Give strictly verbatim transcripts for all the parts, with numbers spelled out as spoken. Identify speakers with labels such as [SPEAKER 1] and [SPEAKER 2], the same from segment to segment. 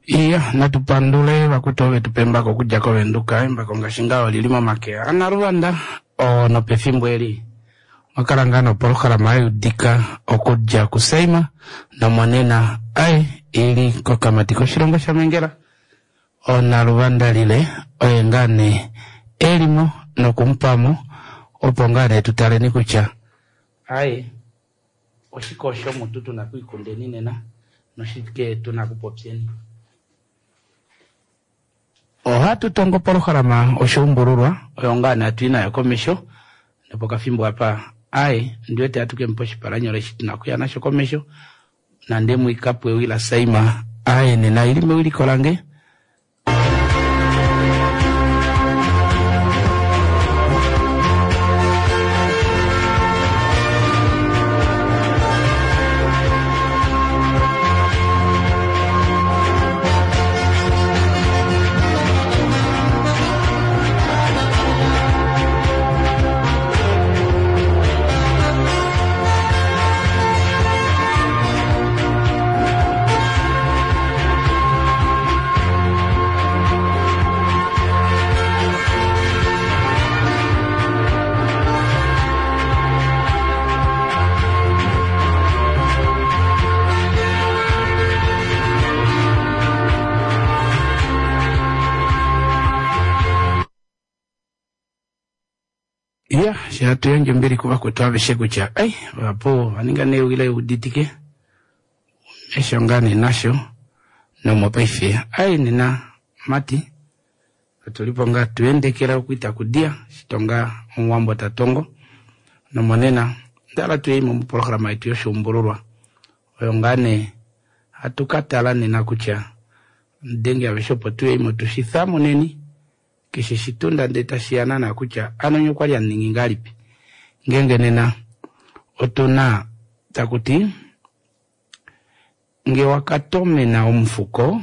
[SPEAKER 1] Iya, natu pandule vakwetu ove tu pa embako okudja koVenduka. Embako ngaashi ngaho oli li momake aNaluvanda oo nopefimbo eli omwa kala ngaa nopolohalama ya udika okudja kuSaima nomonena ai ili kokamati koshilongo shaMengela oNaluvanda lile oye ngaa nee elimo nokumupamo opo ngaa nee tutaleni kutya ai oshike osho mutu tuna kwiikundeni nena noshike tuna kupopyeni. Ohatu tongo polohalama oshuumbululwa oyo ngaa nee hatu i nayo komesho nopokafimbo apa ai ndiwete hatu kemupa oshipalanyole eshi tuna okuya nasho komesho nande mwikapo ewi laSaima ai nena ili mewiliko lange. Ya, hatu yandje ombili kuvakwetu aveshe kutya ai vapo vaninga newi leuditike mesho ngaa nee nasho nomopaife ai nena mati otulipo ngaa tuendekela okuita kudia shitonga omuwambo tatongo nomonena ndala tuyeimo mopolohalama yetu yoshuumbululwa oyo ngaa nee hatu katala nena kutya denge aveshe opo tuyeimo tushithamuneni keshe shitunda ndee tashiya naana kutya ano nye okwali hamuningi ngahelipi ngeenge nena otuna takuti nge wakatomena omufuko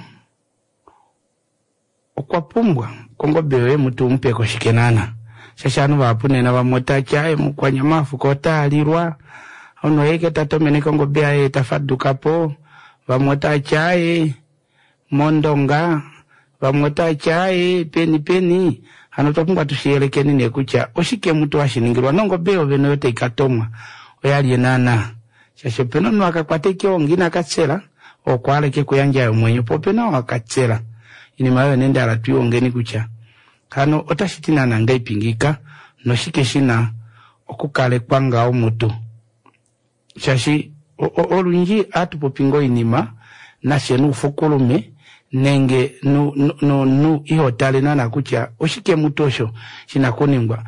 [SPEAKER 1] okwa pumbwa kongobe yoye mutu umupeko shike naana shaashi ovanhu vahapu nena vamwe otati aye mukwanyama afuko otaalilwa omunhu oye tatomene kongobe yaye tafadukapo vamwe otati aye mondonga vamwe otati aye peni peni hano otwa pumbwa tushiyelekeni nee kutya oshike mutu hashiningilwa nongobe yovene oyo taikatomwa oyalye naana shaashi opena omunhu akakwata eke onga inakatsela okwa aleke kuyandja omwenyo po opena oo akatsela oinima oyo nee ndahala twiihongeni kutya hano otashiti naana ngahelipi ngiika noshike shina okukalekwa ngaho mutu shaashi olundji ohatu popi ngoo oinima nafye nuufukulume nenge nu ihotale naana kutya oshike mutu osho shina kuningwa.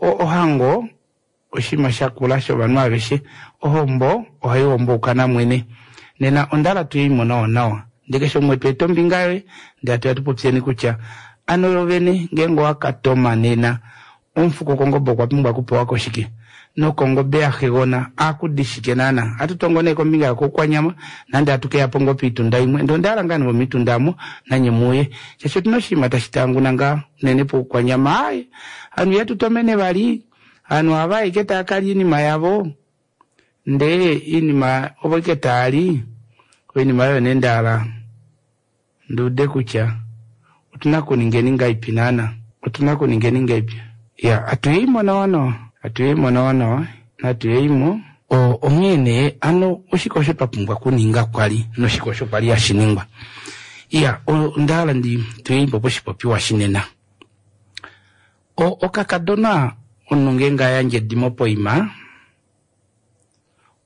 [SPEAKER 1] Ohango oshinima shakula shovanhu aveshe, ohombo ohaihombouka namwene nena ondahala tuyeimo nawa nawa ndee keshe umwe tweeta ombinga yoye ndee hatuya tupopyeni kutya ano yovene ngeenge owakatoma nena omufuko kongobe okwa pumbwa okupewako shike nokongobe yaxegona akudi shike naana. Ohatu tongo nee kombinga yokoukwanyama nande hatu keyapo ngoo poitunda imwe ndee ondahala ngaa nee vomitunda aamo nanye muuye shaashi otuna oshinima tashi tanguna ngaa unene poukwanyama ai ovanhu ihatu tomene vali ovanhu ohava ashike taakalya oinima yavo ndee oinima ovo ashike taali oinima oyo nee ndahala nduude kutya otuna kuningeni ngahelipi naana otuna kuningeni ngahelipi ya atuyeimo nawa nawa atuyeimo nawa nawa natuyeimo onghee nee ano oshike osho twa pumbwa okuninga kwali noshike osho kwali hashiningwa. Iya ondahala ndi tuyeimo poshipopiwa shinena. Okakadona omunhu ngeenge ayandje edimo poima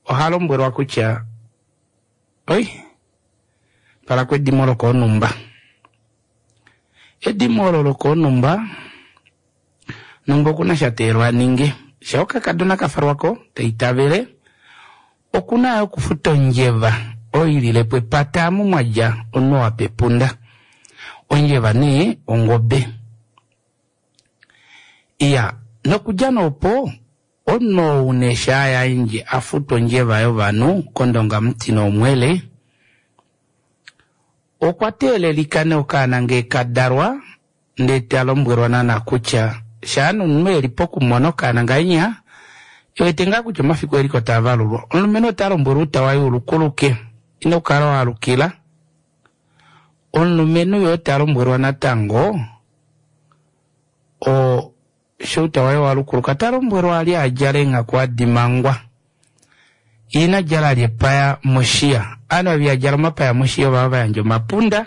[SPEAKER 1] oha lombwelwa kutya oi twalako edimo lokoonumba. Edimo olo lokoonumba numba okuna sha teelwa aninge sha okakadona kafalwako taitavele okuna yo okufuta ondjeva oyo ililepo epata amu mwadja omunhu wapepunda. Ondjeva nee ongobe. Iya nokudja noopo omunhu ou nee shaayandje afuta ondjeva yovanhu kondonga muti noomwele okwa teelelika nee okaana ngee kadalwa ndee talombwelwa naana kutya shaa nomunhu eli pokumona okaana ngahenya ewete ngaa kutya omafiku eliko taavalulwa. Omulumenhu ota lombwelwa outa waye ulukuluke ino kala waalukila Omulumenhu yo ta lombwelwa natango o shouta waye walukuluka ta lombwelwa ali adjale eenghaku adi mangwa ina djala ali epaya moshiya. Ovanhu ava ihadjala omapaya moshiya ovava vayandja omapunda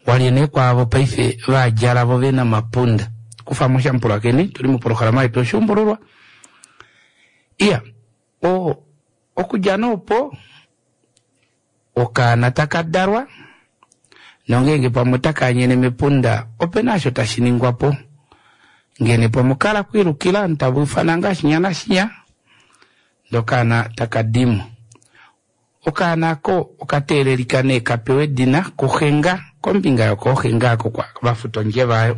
[SPEAKER 1] walye nee kwaavo paife vaadjala vo vena omapunda. Kufamo shamupulakeni tuli moprograma yetu oshuumbululwa. Iya o okudja nee opo okaana taka dalwa nongeenge pamwe otakaanyene mepunda opena osho tashi ningwapo ngene pamwe okala kwiilukila ovanhu tava ufana ngaa shinya nashinya ndee okaana takadimo. Okaana aako okateelelika nee kapewe edina kuxe kombinga yokooxe ngaa oko vafuta ondjeva aayo.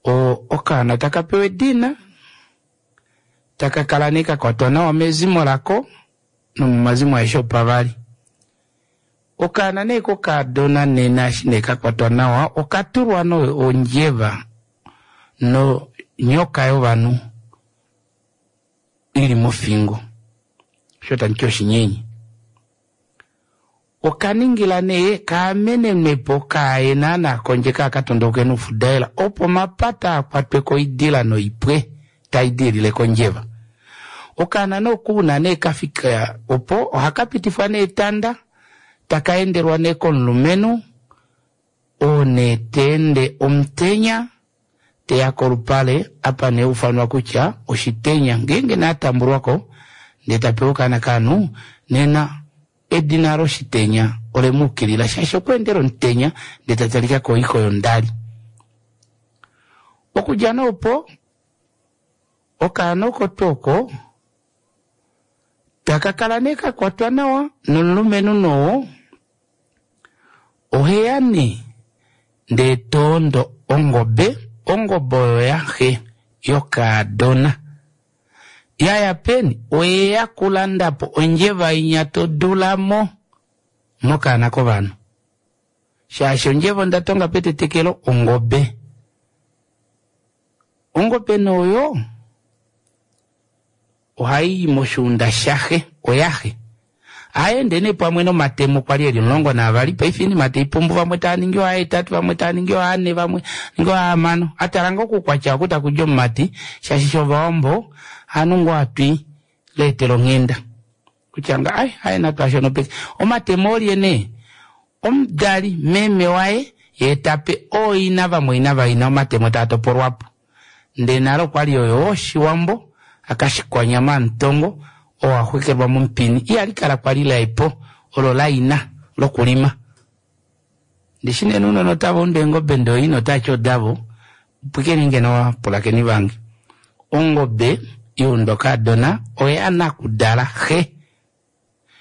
[SPEAKER 1] O okaana takapewa edina takakala nee kakwatwa nawa mezimo lako nomomazimo aeshe opavali. Okaana nee kokaadona nena eshi nee kakwatwa nawa okatulwa nee ondjeva nonyoka yovanhu ili mofingo osho tamuti oshinyenye. Okaningila nee kaamenenwepo kaaye naana kondje kaakatondauke noufudaela opo omapata akwatwe koidila noipwe taidiilile kondjeva. Okaana nee okuuna nee kafika opo ohakapitifwa nee etanda takaendelwa nee komulumenhu oo nee teende omutenya teya kolupale apa nee ufanwa kutya oshitenya ngeenge nee atambulwako ndee tapewa okaana kaanhu nena edina loshitenya olemuukilila shaashi okweendela omutenya ndee tatalika koiko yondali. Okudja nee opo okaana oko tuu oko takakala nee kakwatwa nawa nomulumenhu noo oheya nee ndee toondo ongobe, ongobe oyo yaxe yokaadona yaya peni oyeya kulandapo ondjeva inya todulamo mokaana kovanhu shaashi ondjeva onda tonga petetekelo ongobe. Ongobe nooyo ohai moshuunda shaxe oyaxe aende nee pamwe nomatemo kwali eli omulongo naavali paife oinima taipumbu vamwe taaningi oahetatu vamwe taaningi oane vamwe ningi oahamano atala ngoo okukwatya oku takudja omumati shaashi shovawambo hanu ngoo atwi leetela onghenda kutya nga ai aye natu ashonopeke omatemo olye nee omudali meme waye yee tape ooina vamwaina vaina omatemo taa topolwapo ndee nale okwali oyo oshiwambo akashikwanyama amutongo oo axwekelwa momupini ihali kala kwali laepo olo laina lokulima. Ndishi nee ounona otava undu eengobe ndee ooina otavati odavo pwikeni ngeno vapulakeni vange. Ongobe yaundwa kaadona oya nakudala xe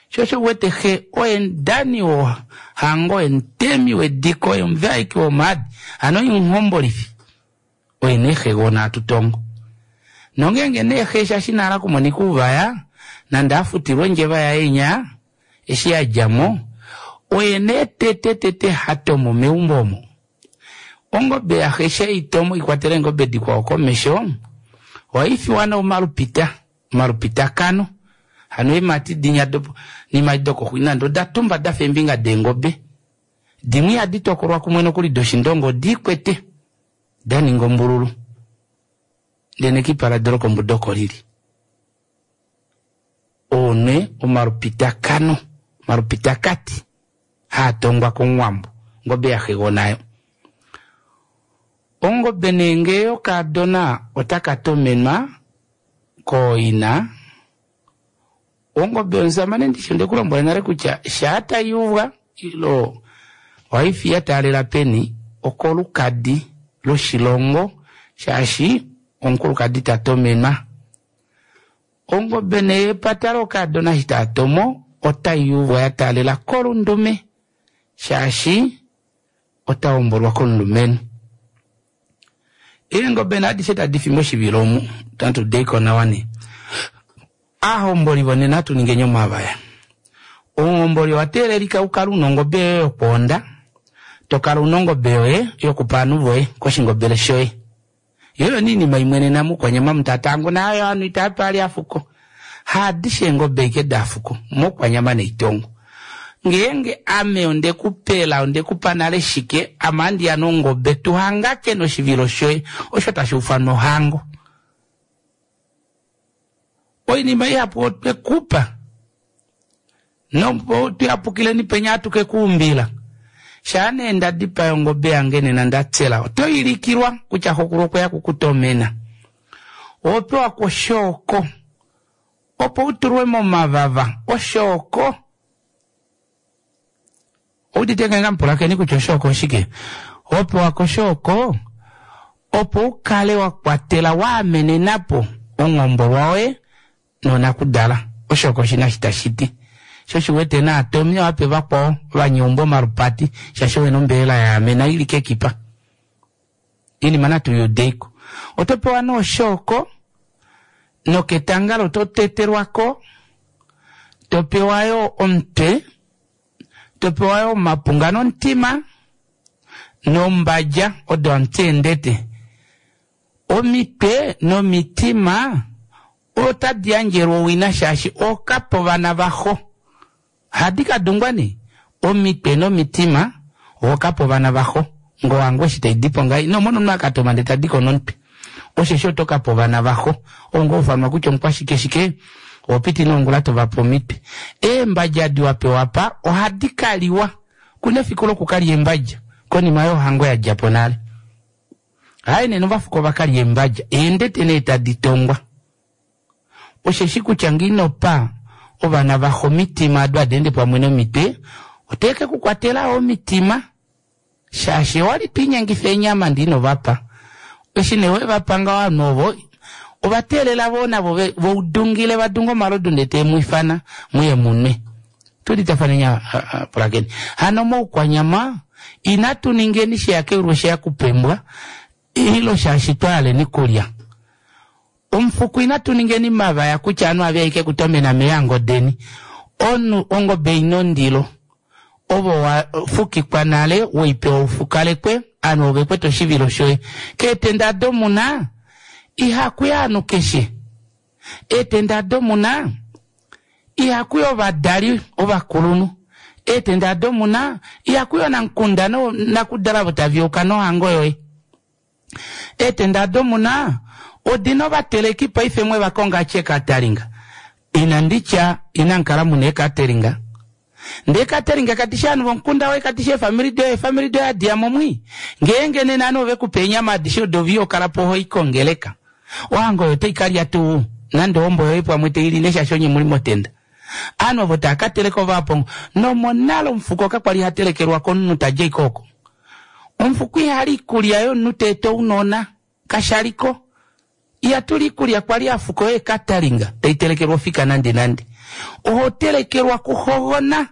[SPEAKER 1] sho osho uwete xe oye omudani wohango oye omutemi wediko oye omuvaeki womaadi hano oye omuhombolifi oye nee xegona hatu tongo. Nongeenge nee xe shaashi inahala okumonika ouvaya nande afutilwe ondjeva yaye inya eshi yadjamo oye nee tete tete hatomo meumbo omo. Ongobe yaxe sheitomo ikwatela eengobe dikwao komesho ohaifiwa nee omalupita omalupitakano hano eemati dinya nimati dokoxwi nande oda tumba dafa eembinga deengobe dimwe ihadi tokolwa kumwe nokuli doshindongo odiikwete daninga ombululu ndee nekipa lado lokombuda oko lili. Oo nee omalupitakano omalupitakati haatongwa komuwambo ongobe yaxegona. Ongobe nee ngee yokaadona otaka tomenwa kooina. Ongobe yomusamane ndishi ondekulombwela nale kutya shaa tayuuvwa ilo ohaifi yataalela peni okolukadi loshilongo shaashi omukulukadi tatomenwa. Ongobe nee yepata lokaadona eshi taatomo otayuuvwa yataalela kolundume shaashi otahombolwa komulumenhu. Eengobe nee adishe tadi fi moshivilo omu natu deiko nawa nee. Aahomboli vonena atu ningeni omavaya. Omuhomboli owa teelelika ukale una ongobe yoye yokwoonda tokala una ongobe yoye yokupa ovanhu voye koshingobele shoye. Yoo oyo nee oinima imwe nena moukwanyama mutatango nayo ovanhu itavape vali afuko. Haadishe eengobe ashike dafuko moukwanyama neitongo. Ngeenge ame onde ku pela onde ku pa nale shike ame andiya nongobe tuhangake noshivilo shoye osho tashi ufanwa ohango. Oinima ihapu otwe kupa nopo tuyapukileni penya atuke kuumbila shaa nee ndadipa ongobe yange nena ndatsela oto ilikilwa kutya xokulu okweya kukutomena opewa koshooko opo utulwe momavava oshooko oudite ngenga mpulakeni kutya oshooko oshike opewa koshooko opo ukale wa kwatela waamenenapo ongombolwa woye nonakudala oshooko oshina shi tashiti sho shiwete naatomi wape vakwao vanyeumbo omalupati shaashi owena ombelela yaamena ili kekipa inima natu yudeiko oto pewa nooshooko noketangalo to tetelwako to pewa yo omutwe to pewa yo omapunga nomutima nombadja odo amutsendete omitwe nomitima otadi yandjelwa owina shaashi okapa ovana vaxo hadi kadungwa nee omitwe nomitima okapa ovana vaxo ngowangu eshi taidipo ngai nomona omunhu akatoma ndee tadiko nomutwe osheshi oto kapa ovana vaxo ongo ufanwa kutya omukwashike shike opiti nongula tovapa omitwe eembadja adi wapewa pa ohadi kaliwa kuna efiku lokukalya eembadja konima yohango yadjapo nale hayi nena ovafuko vakalya eembadja eendete nee tadi tongwa osheshi kutya nginopa ovana vaxo omitima ado adeende pamwe nomitwe oteke kukwatela omitima shaashi owali twiinyengifa eenyama ndinovapa eshi nee wevapanga ovanhu ovo ovateelela voo navo voudungile vadunga omalodu ndee teemwifana muye munwe tuditafanenya pulakeni hano moukwanyama inatu ningeni sheyakeulwe sheya kupembwa ilo shaashi twaaleni kulya omufuku inatu ningeni mavaya kutya anu ave aike kutomena meyango deni onu ongobe ina ondilo ovo wafukikwa nale weipewa ufukalekwe anu ove kwete oshivilo shoye keetenda domuna ihakuya anu keshe eetenda domuna ihakuya ovadali ovakulunhu eetenda domuna ihakuya onamukunda nakudala vo taviyuka nohango yoye eetenda domuna odina ovateleki paife mwe vakonga chekatalinga inanditya inankala muna ekateringa ndee kateringa katisha anu vomukunda woye katisha efamili doye efamili doye adiyamo mwi ngeenge nena anu ovekupa eenyama adishe odo viyo kala po hoikongeleka ohango oyo taikalya tuu nande ombo yoye pamwe taili neshaashi onye muli motenda anu ovo taakateleka ovapongo nomonale omufuko kakwali hatelekelwa komunhu tadja ikooko omufuko ihali ikulya yomunhu teeta ounona kashaliko ihatuli ikulya kwali afuko yoye katalinga taitelekelwa ofika nande nande oho telekelwa kuhogona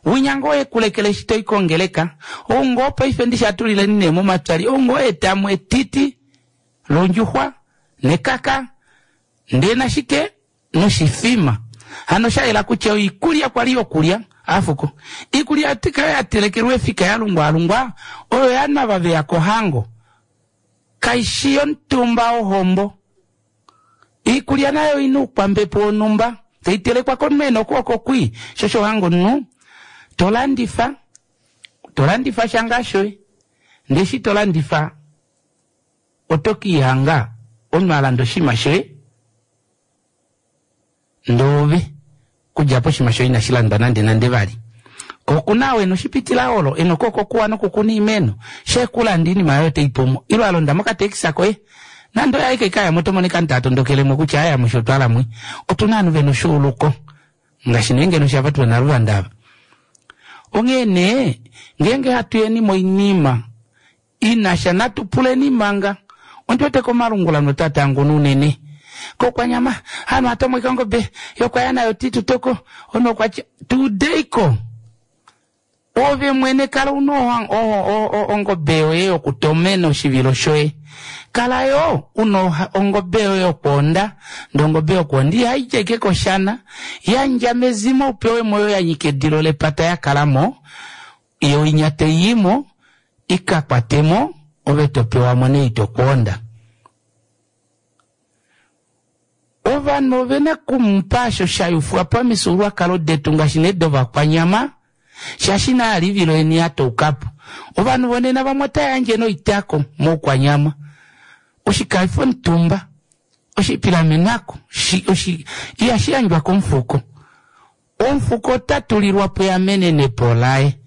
[SPEAKER 1] winyanga oye kulekele eshi toikongeleka oungo paife ndishatulileni nee momatwali oungo etamu etiti londjuxwa nekaka ndee nashike noshifima hano shayela kutya oikulya kwali yokulya afuko ikulya tika yatelekelwa efika yalungwalungwa oyo yanava veya kohango kaishi yomutumba ohombo ikulya nayo ina oukwambepo wonhumba taitelekwa komunhu okwooko kwi shosho hango nu tolandifa tolandifa shanga shoye ndee eshi tolandifa oto kiihanga omunhu alanda oshinima shoye ndoove kudja po oshinima shoye inashi landwa nande nande vali kokuna wena oshipitila olo ena okwooko kuwa nokukuna iimeno shekulanda iinima yoye teipumo ilo alonda mokatekisa koye nande oyo aike kayamo otomonika ntatondokelemo kutya aya musho otwalamwe otuna ovanhu vena oshuuluko ngaashi nee ngeno shava tuna luvanda ava onghee nee ngeenge hatuyeni moinima inasha natu puleni manga ondiwete komalungula notatanguna unene kokwanyama hano atomweka ongobe yokwaya nayo titutoko ono okwatya tudeiko ove mwene kala una ongobe yoye yokutomena oshivilo shoye kala yo una ongobe yoye yokwoonda ndee ongobe yokwoonda ihaidja ike koshana yandja mezimo upewe moyo yanyika edilo lepata yakalamo yo inya teiyimo ikakwatemo ove topewamo nee itokwoonda ovanhu ovena kumupa osho shayufwa pamifyuululwakalo detu ngaashi nee dovakwanyama Shaashi na livilo eni ya toukapo. Ovanhu vonena vamwe otava yandje noitako moukwanyama. Oshikaifo omutumba, oshipilamenako, ihashi yandjwa komufuko. Omufuko ota tulilwa po eamenenepo laye.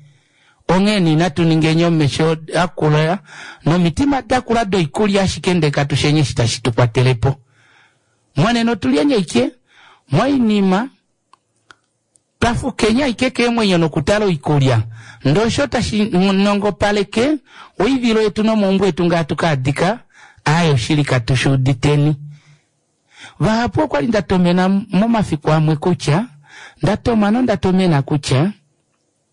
[SPEAKER 1] Onghee inatu ningeni omesho akula nomitima dakula doikulya ashike ndele katushenye eshi tashi tu kwatele po. Monena otulyeni aike moinima twafukenya aike keemwenyo nokutala oikulya. Ndee osho tashi nongopaleke oivilo yetu nomaumbo etu ngaa tukaadika aaye oshili katushuuditeni. Vahapu okwali ndatomena momafiku amwe kutya ndatoma nondatomena kutya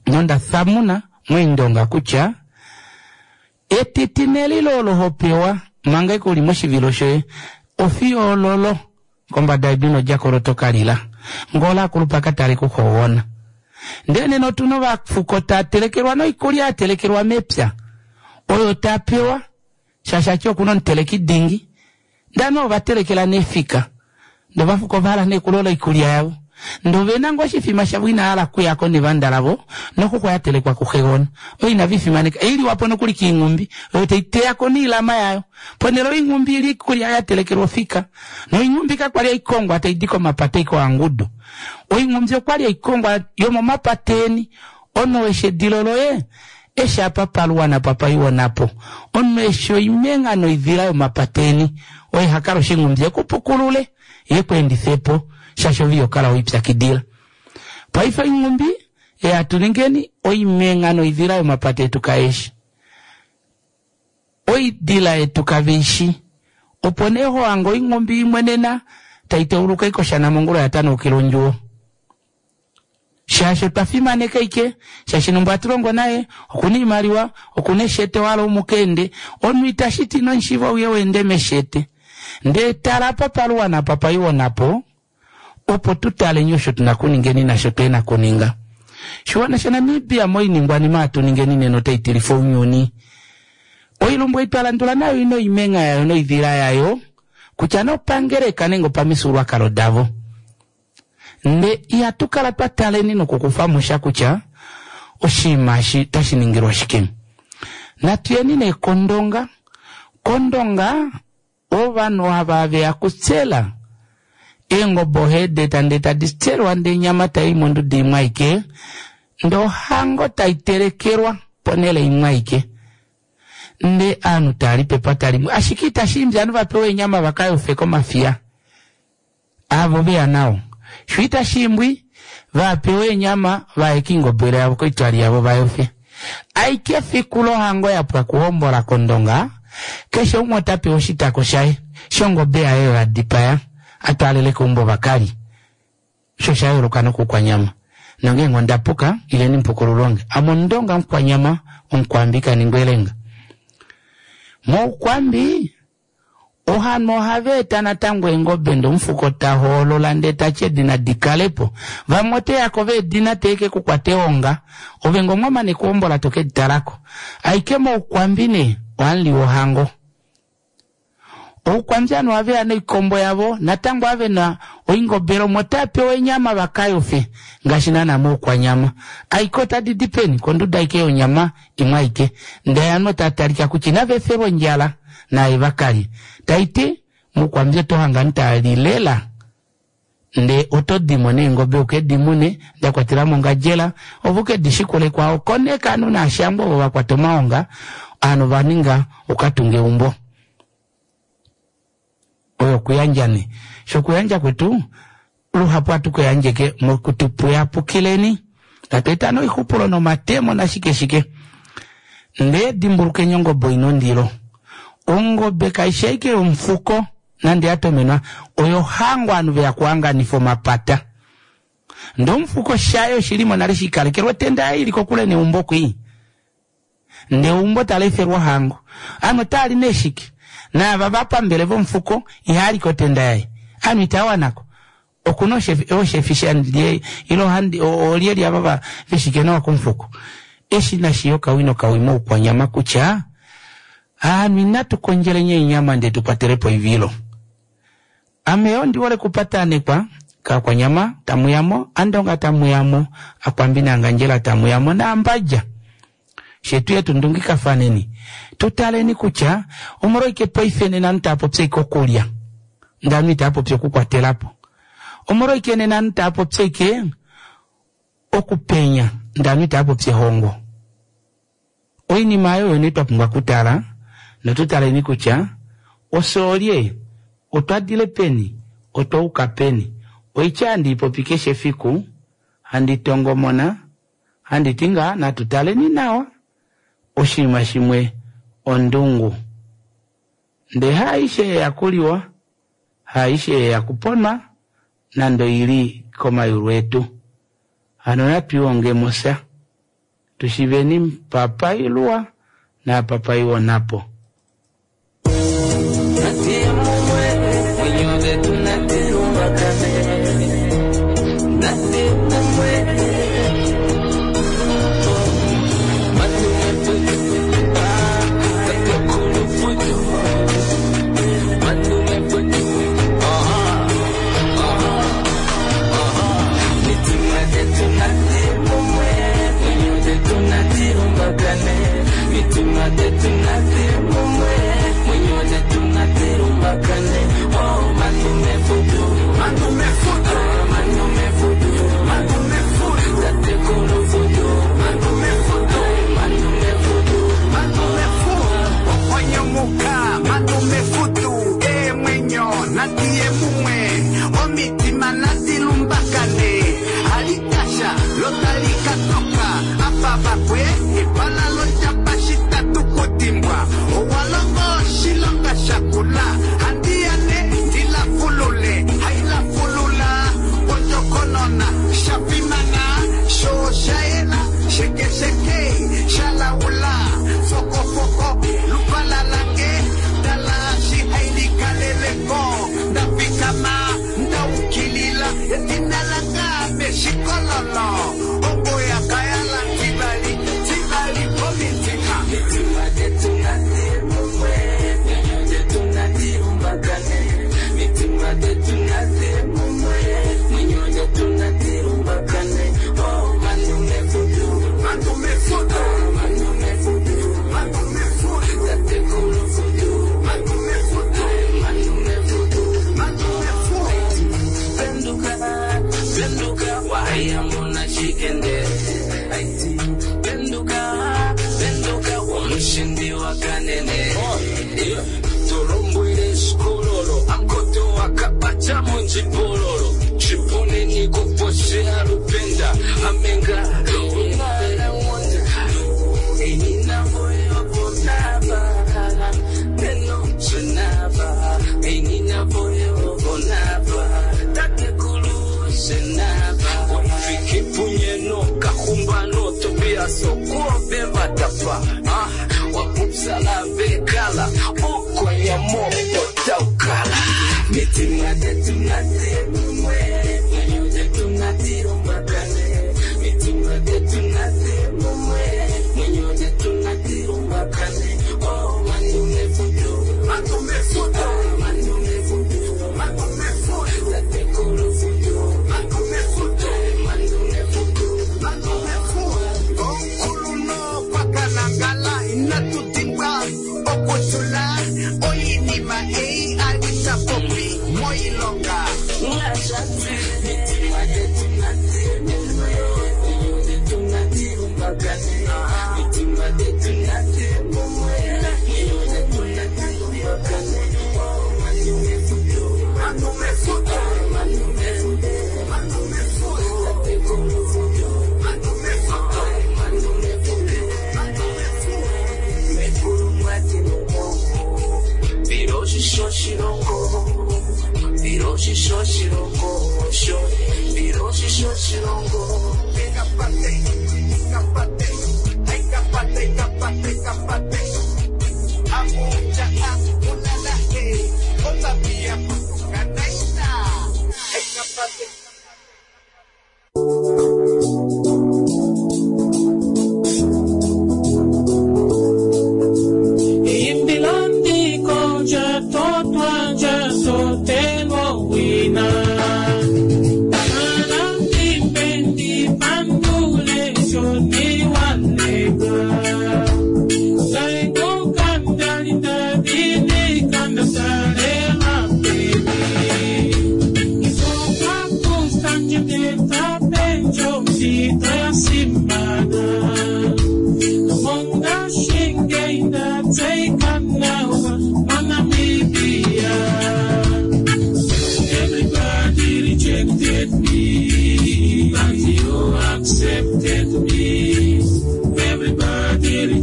[SPEAKER 1] nonda thamuna moindonga kutya etiti nelilo olo hopewa manga ike uli moshivilo shoye ofiyo ololo kombada yedu nodjakolo tokalila ngola akulupa katale kuxoona. Ndele nena otuna ovafuko taa telekelwa noikulya ya telekelwa mepya oyo tapewa shaashi ati okuna omuteleki dingi ndano ovatelekela nefika ndee ovafuko ovahala nee kulola oikulya yavo ndee ovena ngoo oshifima shavo inahala kuyako nevanda lavo noxuxwa yatelekwa kuxegona oyo inavifimaneka iliwapo nokuli kiinghumbi oyo taiteyako noilama yayo ponele oinghumbi ili ikulya yatelekelwa ofika noinghumbi kakwali haikongwa taidi komapata ikohangudu oinghumbi okwali haikongwa yomomapata eni omunhu eshi edilo loye eshi apa paluwana papaiwonapo omunhu eshi oimenga noidila yomapata eni oye hakala oshinghumbi ekupukulule yekweendifepo shaashi ove ihokala weipyakidila. Paife oinghumbi ehatuningeni oimenga noidila yomapata etu kaeshi oidila yetu kaveishi opo nee hohange oinghumbi imwe nena taiteuluka ikoshana mongula yatanaukila ondjuwo shaashi otwa fimaneka ike shaashi nombo hatulongo naye okuna oimaliwa okuna eshete wahala umukeende omunhu itashiti nomushiva uye weende meshete ndee tala apa paluwana apa paiwonapo opo tutaleni osho tuna kuningeni nasho twena kuninga. Shiwana shaNamibia moiningwanima hatuningeni nena otaitilifa ounyuni. Oilumbu ei twalandula nayo ina oimenga yayo noidila yayo kutya nopangeleka nenge opamifyuululwakalo davo. Nde ihatu kala twa taleni nokukufamo sha kutya oshinima eshi otashi ningilwa shike. Natuyeni nee kondonga. Kondonga ovanhu ava veya kutsela eengobe oheedeta ndee tadi tselwa ndee enyama tai monduda imwe aike ndee ohango taitelekelwa ponele imwe aike ndee ovanhu taali pepata limwe ashike itashiimbi ovanhu vapewe eenyama vakayofe komafiya avo veya nao sho itashiimbwi vapewe eenyama vaye koingobele yavo koitwali yavo vayofe aike efiku lohango yapwa kuhombola kondonga keshe umwe otapewa oshitako shaye shongobe yaye oyo adipaya atwaalele keumbo vakali osho osha nokukwanyama nongeenge ondapuka ileni mupukululonge ame omundonga mukwanyama omukwambi kaningwa elenga. Moukwambi ovanhu ohava eta natango eengobe ndee omufuko tahoolola ndee tati edina dikalepo vamwe oteyako veedina teeke kukwata eonga ove ngee omwamane okuhombola tokeditalako aike moukwambi nee ohamuliwa ohango. Oukwambi ovanhu ohaveya noikombo yavo natango avena oingobele omo otapewa eenyama vakayofe ngaashi naana moukwanyama aike otadidi peni konduda aike yonyama imwe aike ndee ovanhu otatalika kutya inava efelwa ondjala naye vakalye taiti moukwambi otohange ovanhu taali lela ndee otodimo neengobe ukedimune dakwatelamo ongadjela ove ukedishikule kwao koneka ovanhu naashango ovo vakwata omaonga ovanhu vaninga ukatunga eumbo. Oyo okuyandja nee shokuyandja kwetu luhapu ohatu kuyandjeke mokutupuyapukileni tatu eta noixupulo nomatemo nashike shike ndee dimbulukeni ongobe oina ondilo ongobe kaishi ashike yomufuko nande yatomenwa oyo hango ovanhu veya kuhanganifa omapata ndee omufuko shaye oshilimo nale shiikalekelwa otenda yaye ili kokule neumbo kwii ndee eumbo taleefelwa ohango ovanhu otaali nee shike naava vapambele vomufuko ihaali kotenda yaye ovanhu itawanako okuna oshefi shandie ile olyelye ava veshike nawa komufuko eshi nashiya okawi nokawi moukwanyama kutya ovanhu inatu kondjeleni eenyama ndee tukwatelepo oivilo. Ame ondi hole okupatanekwa Kakwanyama tamuyamo, Andonga tamuyamo, Akwambi naAngandjela tamuyamo naAmbadja. Shetu yetu ndungikafaneni tutaleni kutya omolwashike paife nena ovanhu taapopi ashike okulya ndee ovanhu itaapopi okukwatelapo, omolwashike nena ovanhu taapopi ashike okupenya ndee ovanhu itaapopi ehongo. Oinima aayo oyo nee twapumbwa okutala notutaleni kutya ofye olye, otwadile peni, otwayuka peni. Oitya handi ipopi keshe efiku handi tongomona handiti ngaa natu taleni nawa oshinima shimwe ondungu ndee haaishe yeya kuliwa, haaishe yeya kuponwa nande oili komayulu etu. Hano natwiihongemo sha tushiveni mpa pailuwa naapa paiwa onhapo.
[SPEAKER 2] Imbilandiko ja totwa ja sotelwa wina.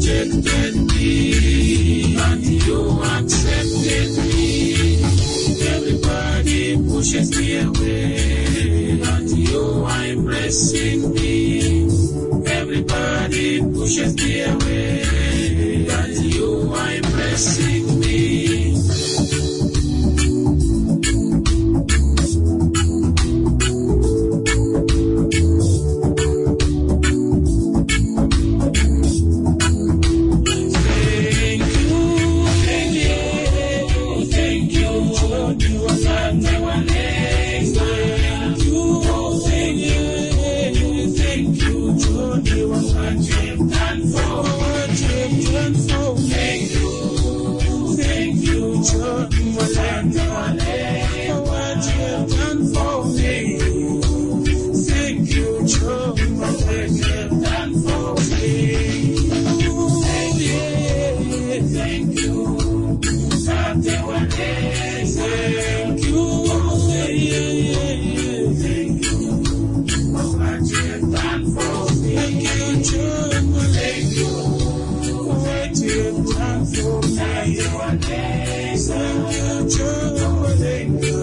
[SPEAKER 2] rejected me, but you accepted me. Everybody pushes me away, but you are embracing me. Everybody pushes me away, but you are embracing me. Thank you, thank you, thank you, John. You are Thank you, thank you, thank you, John. You are what you've done for, what you've done for. Thank you, thank you, John. You are what you've done for me. Thank you, John. What you've done for me. Thank you, thank you. Thank you, thank you. What you've done for me. Thank you, John. Thank you. What you've done for me. Thank you, John. Thank you.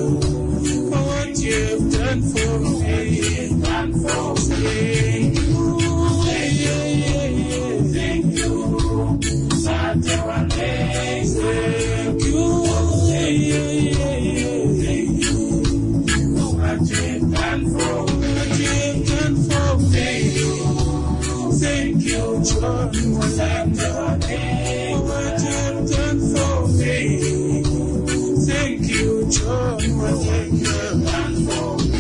[SPEAKER 2] What you've done for me. Done for me. Thank you, thank you. Thank you, thank you. What you've done for what you've done for me. Thank you, John. What you've done for me. Thank you, John. What you've done for me.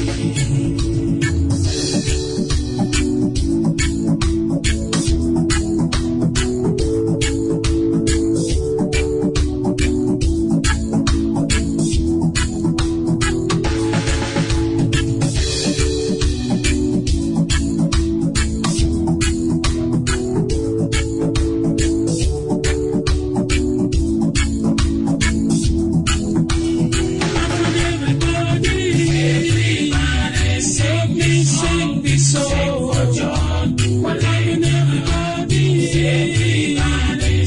[SPEAKER 2] Everybody, sing me, sing this song for John. Everybody, everybody,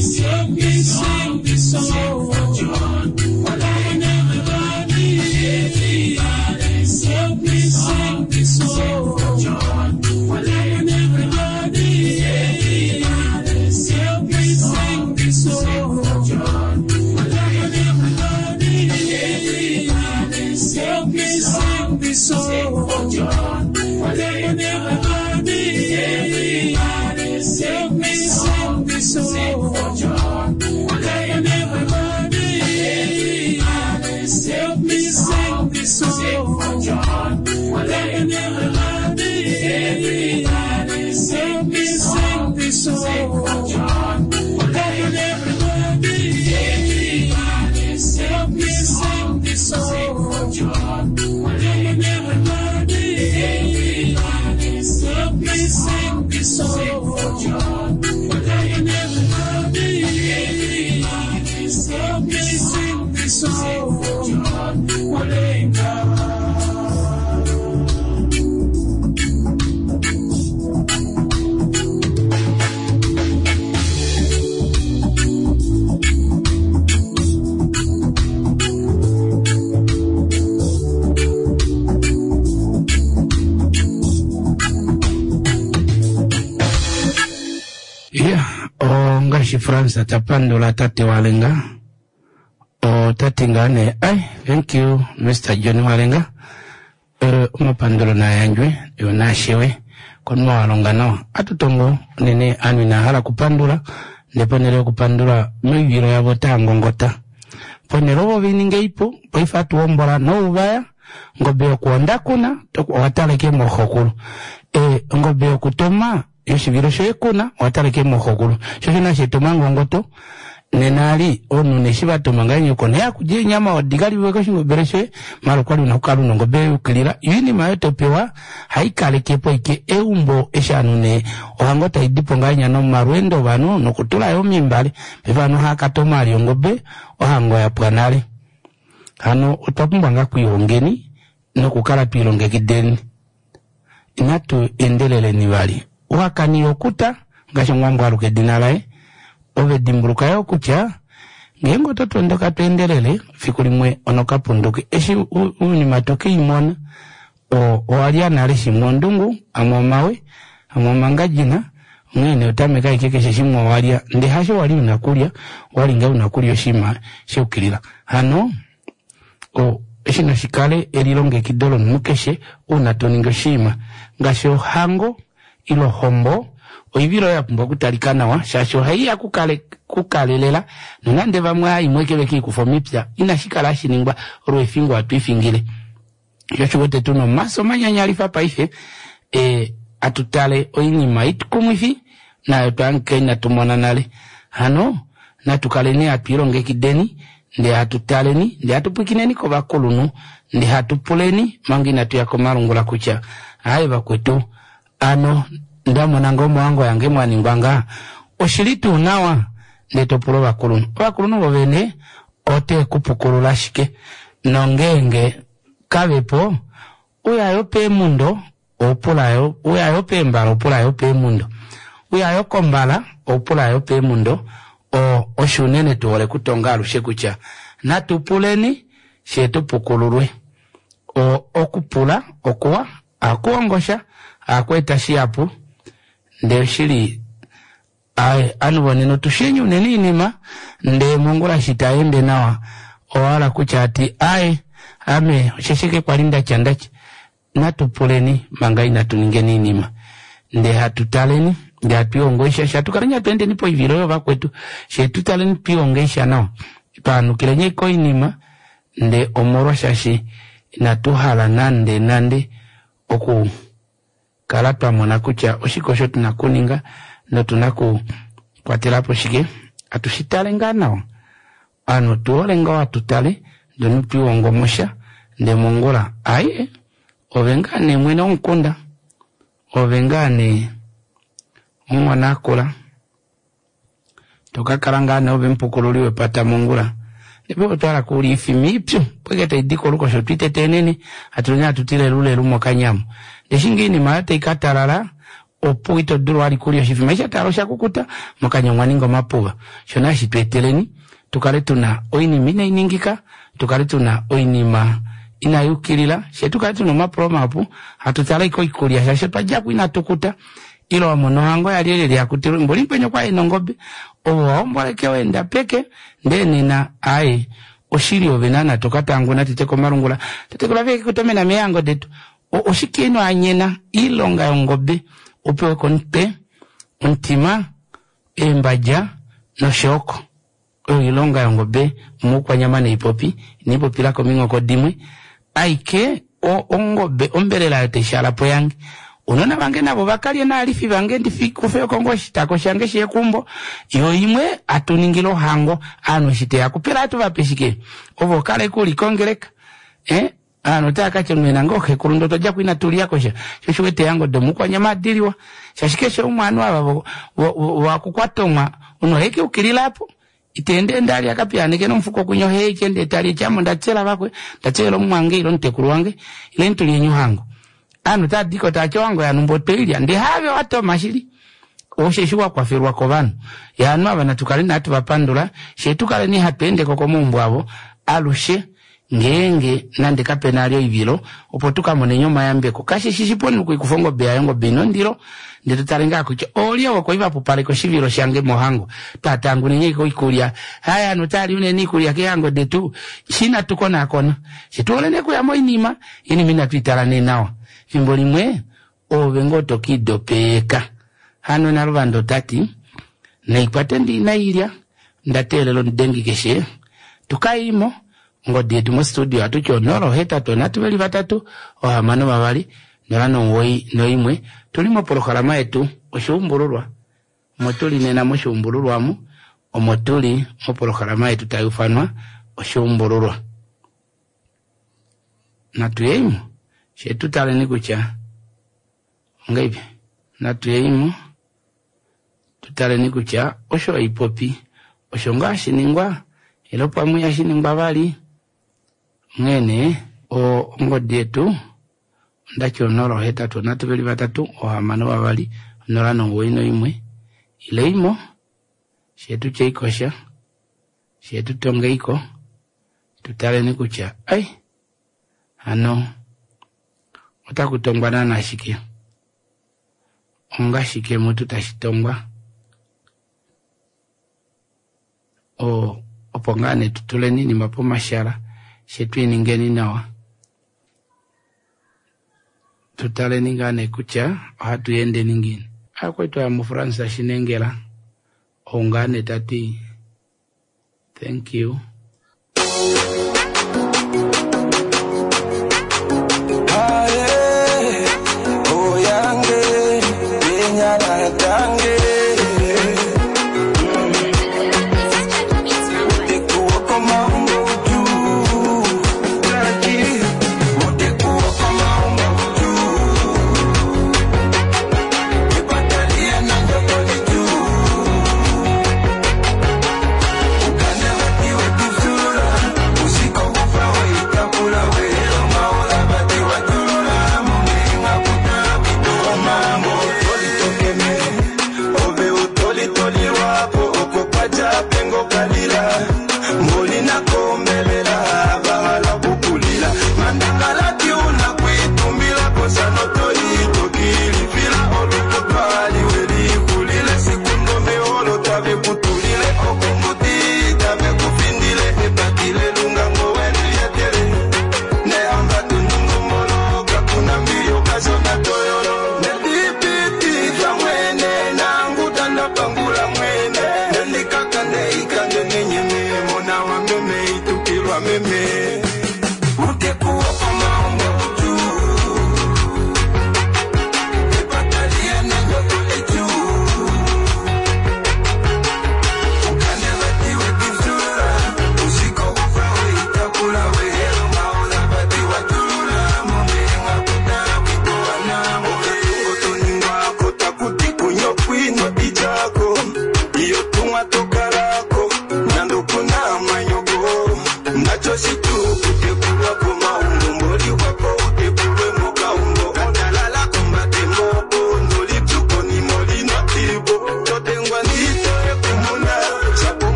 [SPEAKER 2] sing me, sing this song for John. Everybody, everybody, sing me, sing this song for John. Everybody, everybody, sing me, sing this song for John. Everybody, everybody, sing me, sing this song for John. Everybody, everybody, sing me, sing this song for John. Everybody, everybody, sing me, sing this song for John. Everybody, everybody, sing me, sing this song for John. Everybody, everybody, sing me, sing this song for John. Everybody, everybody, sing me, sing this song for John. Everybody, everybody, sing me, sing this song for John. Walenga.
[SPEAKER 1] Ya, ongaashi France ta pandula tate Walenga. Ota ti ngaa nee, ai, thank you Mister John Walenga. Eh, omapandulo naa yandjwe yo naa shewe konima wa longa nawa. Atutongo unene aanhu inaa hala okupandula, ndee ponhele yokupandula moivilo yavo otaa ngongota. Ponhele ovo veninga ipu, paife atuhombola nouvaya, ongobe yokuhonda kuna, owatala ashike mooxokulu. Eh, ongobe yokutoma yoshivilo shoye kuna, owatala ashike mooxokulu. Sho osho nasheeta omangongoto, nena ali omunhu nee eshi vatoma ngahenya oko nee hakulya eenyama odi kaliwe koshingobele shoye, maala okwali una okukala una ongobe yayukilila. Yo oinima oyo topewa haikalekepo ashike eumbo eshi ovanhu nee ohango taidipo ngahenya nomalweendo ovanhu nokutula yoo omimbale. Paife ovanhu ohaakatoma ali ongobe ohango yapwa nale. Hano otwa pumbwa ngaa okwiihongeni nokukala twiilongekideni. Inatu endeleleni vali. Uhakani okuta ngaashi omuwambo aluka edina laye. Ove dimbuluka yo kutya ngeenge oto tondoka to endelele fiku limwe onokapunduke eshi oinima to keimona owalya nale shimwe ondungu amwe omawe amwe omangadjina onghee nee otameka ashike keshe shimwe owalya ndee hasho wali una kulya owali ngaa una kulya oshinima shayukilila. Hano eshi nashikale elilongekido lomunhu keshe uuna toningi oshinima ngaashi ohango ile ohombo oivilo oyo yapumbwa okutalika nawa shaashi ohaiya kukalelela nonande vamwe haimwe eke vekiikufa omipya inashi kala hashi ningwa olweefingo hatu ifingile. Sho osho uwete tuna omafyo manyanyalifa paife e, atu tale oinima ikumwifi nayo twahangika inatu mona nale. Hano natu kaleni hatu ilongekideni ndee hatu taleni ndee hatu pwikineni kovakulunhu ndee hatu puleni manga inatu ya komalungula kutya aaye vakwetu ano ndamona ngoo mohango yange mwaningwa ngaha oshili tuu nawa ndee topula ovakulunhu. Ovakulunhu vovene ote kupukulula ashike nongeenge kavepo uyayo peemundo oupulayo uyayo peembala oupulayo peemundo uyayo kombala oupulayo peemundo o osho unene tuhole okutonga alushe kutya natu puleni fyee tupukululwe. O okupula okuwa ohakuhongosha ohakweeta shihapu ndee oshili aaye ovanhu vonena otushenye unene oinima ndee mongula eshi itayeende nawa owahala kutya ati aaye ame osheshi ashike kwali ndatya ndatya. Natu puleni manga inatu ningeni oinima ndee hatu taleni ndee hatu isha sha tukaleni hatu endeni poivilo yovakwetu fyee tutaleni twihonge isha nawa twaanukileni koinima ndee omolwa shaashi inatu hala nande nande oku kala twamona kutya oshike osho tuna okuninga notuna okukwatelapo shike atushi tale ngaa nawa. Ovanhu otuhole ngoo hatu tale ndee omunhu twiihongomosha ndee mongula aaye ove ngaa nee mwene womukunda ove ngaa nee omunghona akula tokakala ngaa nee ove omupukululi wepata mongula ndee paife otwahala kulya oifima ipyu opo ashike taidi kolukosho otwiitete hatuleni hatu ti lelulelu mokanya ndee eshi ngoo oinima oyo taikatalala opo ito dulu vali kulya oshifima eshi shatalala oshakukuta mokanya omwa omapuva. Sho nee hashi tweeteleni tukale tuna oinima inainingika tukale tuna oinima inayukilila fyee tukale tuna omapulo mahapu hatu tale ashike oikulya shaashi otwadjako inatukuta ile wamona ohango yalyelye yakutilwe mboli mukweni okwali ena ongobe ove owahombola ashike waenda peke ndee nena aaye oshili ove naana tokatanguna tete komalungula tatekula veke kutomena meehango detu oshike ino anyena oilonga yongobe upewe komutwe omutima eembadja noshooko oyo oilonga yongobe moukwanyama neipopi inaipopila kominghoko dimwe aike ongobe ombelela oyo taishaalapo yange ounona vange navo vakalye naalifi vange ndikufeko ngoo oshitako shange shekumbo yo imwe atuningile ohango ovanhu eshi teya kupela atuvape shike ove okale uli kongeleka eh ovanhu otava katya mwena ngoo xekulu ndee otwadjako inatu kosha sho osho uwete eehango domukwanyama adiliwa shaashi keshe umwe ovanhu ava vakukwatomwa omunhu ohaike ukilila aapo iteende ali akapiyaaneke nomufuko kunya oheike ndee tali eti ame ondatsela vakwe ndatselela omumwange ile omutekulu wange ileni tulyeni ohango. Ovanhu otavadiko tavati ohango yanumba otweilya ndee haave watoma shili osheshi wakwafelwa kovanhu ya ovanhu ava natu kaleni hatu vapandula fyee tukaleni hatu endeko komaumbo avo alushe ngeenge nande kapena ali oivilo opo tukamoneni omayambeko. Kashishi shipu omunhu okuikufa ongobe yaye ongobe ina ondilo ndee totale ngaa kutya oolye ovo kwali vapupaleka oshivilo shange mohango twatanguneni ashike oikulya haya ovanhu otavali unene oikulya keehango detu shi inatu konaakona fye tuhole nee okuya moinima oinima inatu itala nee nawa fimbo limwe oove ngoo tokiidopeka. Hano Naluvanda otati naikwate ndi inailya ndateelela omudengi keshe tukaimo ongodi yetu mostudio ohatuti onola ohetatu onhatu veli vatatu ohamano vavali nola nomuwoi noimwe tuli mopolohalama yetu oshuumbululwa omo tuli nena moshuumbululwa omu omo tuli mopolohalama yetu tayuufanwa oshuumbululwa. Natuyeimo fyee tutaleni kutya ongeipi natuyeimo tutaleni kutya osho haipopi osho ngaa hashiningwa ile pamwe ihashiningwa vali onghee nee ongodi yetu ondati onola ohetatu onhatu veli vatatu ohamano vavali onola nomuwoi noimwe ile imo Shetu tyeikosha, shetu tongeiko, tutaleni kutya ai hano otaku tongwa naana shike, ongashike mutu tashi tongwa, o opo ngaa nee tutuleni iinima pomashala shetu iningeni nawa, tutaleni ngaa nee kutya ohatu yendeni ngiini. Akwetu aya muFrance Shinengela ou ngaa nee tati thank you.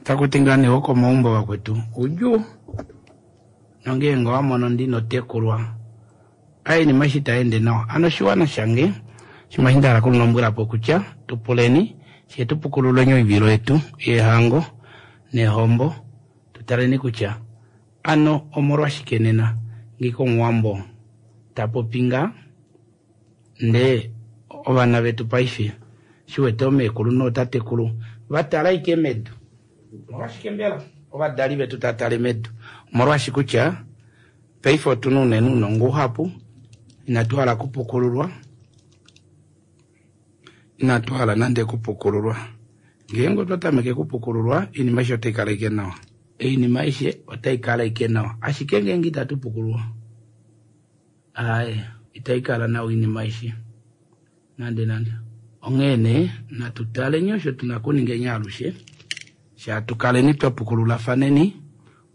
[SPEAKER 1] Takuti ngaa nee wokomaumbo vakwetu udjuu nongeenge owamono ndino tekulwa ainima eshi taende nawa. Ano oshiwana shange shimwe eshi ndahala okulombwelapo kutya tupuleni fyee tupukululeni oivilo yetu yehango nehombo, tutaleni kutya ano omolwashike nena ngike omuwambo tapopi ngaa ndee ovana vetu paife shiwete omeekulu nootatekulu vatala ike medu. Omolwashike mbela ovadali vetu tatale medu? Omolwashi kutya paife otuna unene ounongo uhapu, inatu hala kupukululwa, inatu hala nande kupukululwa. Ngeenge otwa tameke kupukululwa, oinima aishe otai kala ike nawa, oinima aishe otai kala ike nawa. Ashike ngeenge itatu pukululwa, aaye itai kala nawa oinima aishe nande nande. Onghee nee natu taleni osho tuna okuningeni alushe, sha tukaleni twa pukululafaneni,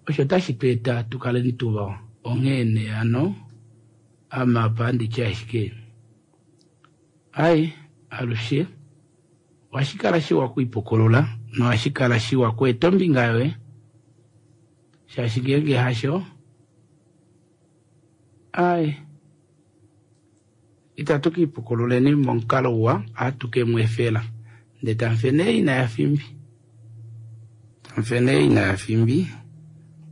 [SPEAKER 1] osho tashi tu eta tukaleni tuvawa. Onghee nee hano ame apa handitye ashike ai alushe Ohashi kala shiwa okwiipukulula nohashi kala shiwa okweeta ombinga yoye shaashi ngeenge hasho ai itatu kiipukululeni momukalo uwa ohatu ke mu efela ndee tamufe nee ina yafimbi tamufe nee ina yafimbi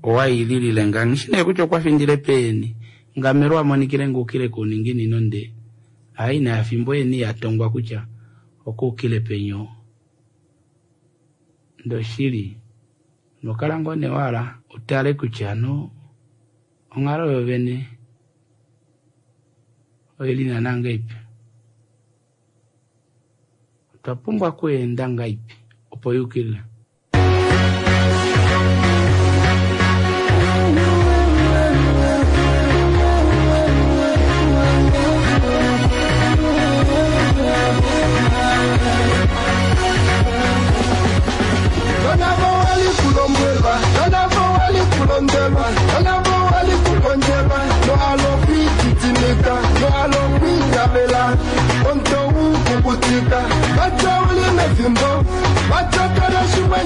[SPEAKER 1] owaililile nga nghishi nee kutya okwa findile peeni ngamelo amonikile nguukile kouninginino ndee aa ina yafimbo yeni yatongwa kutya okuukile penyo ndoshili nokala ngoo nee wahala utale kutya no onghalo yovene oili naana ngahelipi otwa pumbwa okweenda ngahelipi opo yukilile.
[SPEAKER 2] Nonavo wali kulombwelwa, nonavo wali kulondelwa, nonavo wali kukondjelwa, nohalo kwiititimika, nohalo kwiitavela, omuto ukukutika, vatya uli mefimbo, vatya kala shimwe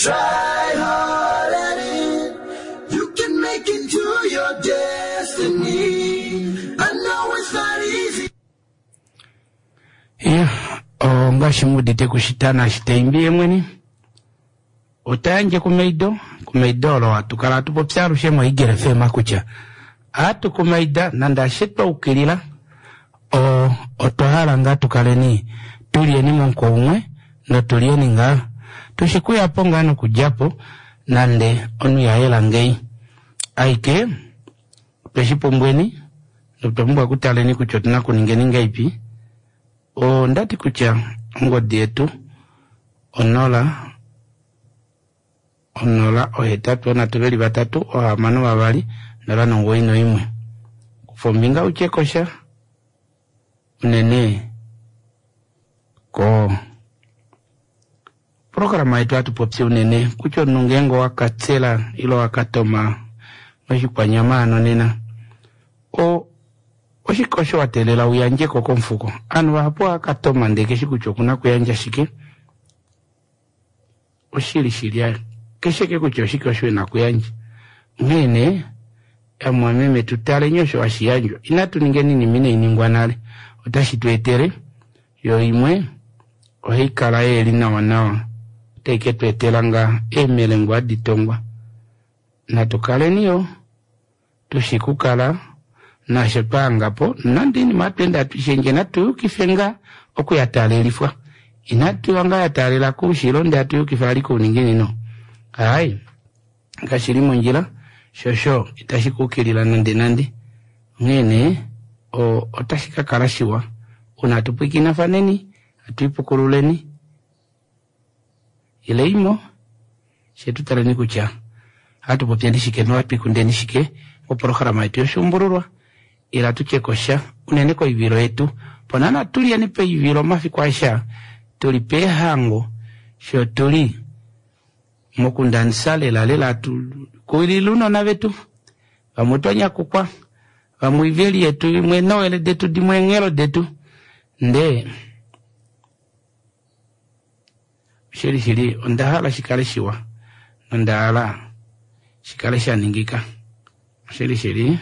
[SPEAKER 3] try hard at it, you can make it to your destiny. I know it's not easy.
[SPEAKER 1] Ya, ongaashi muudite kushitana shitaimbi ye mwene ota yandje kumaido kumaido olo hatu kala hatu popi alushe moEagle F M kutya hatu kumaida nande ashe twa ukilila o otwa hala ngaa tukaleni tulyeni momuko umwe notulyeni ngaa tushikuyapo ngaa nokudjapo nande omunhu yayela ngei aike tweshipumbweni notwa pumbwa okutaleni kutya otuna okuningeni ngaipi. Ondati kutya ongodi yetu onola onola ohetatu onhatu veli vatatu ohamano vavali nola nomugoyi noimwe. Kufa ombinga utye kosha unene ko programa yetu hatu popi unene kutya omunhu ngeenge owakatsela ile owakatoma moshikwanyama ano nena o oshike osho wa teelela uyandjeko komufuko. Ovanhu vahapu ohava ndee keshi kutya okuna kuyandja shike. Oshili shili ayo keshe ke kutya oshike osho ena kuyandja. Onghee nee amwameme tutaleni osho hashi yandjwa, inatu ningeni iinima inai ningwa nale, otashi tu etele yo imwe ohai kala yeli nawa nawa, otai ke tu etela ngaa eemelengo hadi tongwa. Natu kaleni yo tushi kukala nasho twahangapo, nande iinima hatu ende hatu ishendje natu yukife ngaa okuya taalelifwa, inatu ya ngaa ya taalela koushilo ndee hatu yukifa ali kouninginino. Ai kashili mondjila shosho itashi kuukilila nande nande. Onghee nee otashi ka kala shiwa uuna hatu pwikinafaneni hatu ipukululeni ile imo she tutaleni kutya ohatu popyeni shike nohatu ikundeni shike moprograma yetu yoshuumbululwa. Ila tutye kosha unene koivilo yetu pona natulyeni poivilo omafiku aeshe tuli peehango sho tuli mokundanisa lela lela tu kuwilila ounona vetu vamwe otwa nyakukwa vamwe oiveli yetu imwe noele detu dimwe eenghelo detu ndee shili shili onda hala shikale shiwa nonda hala shikale shaningika. Shili shili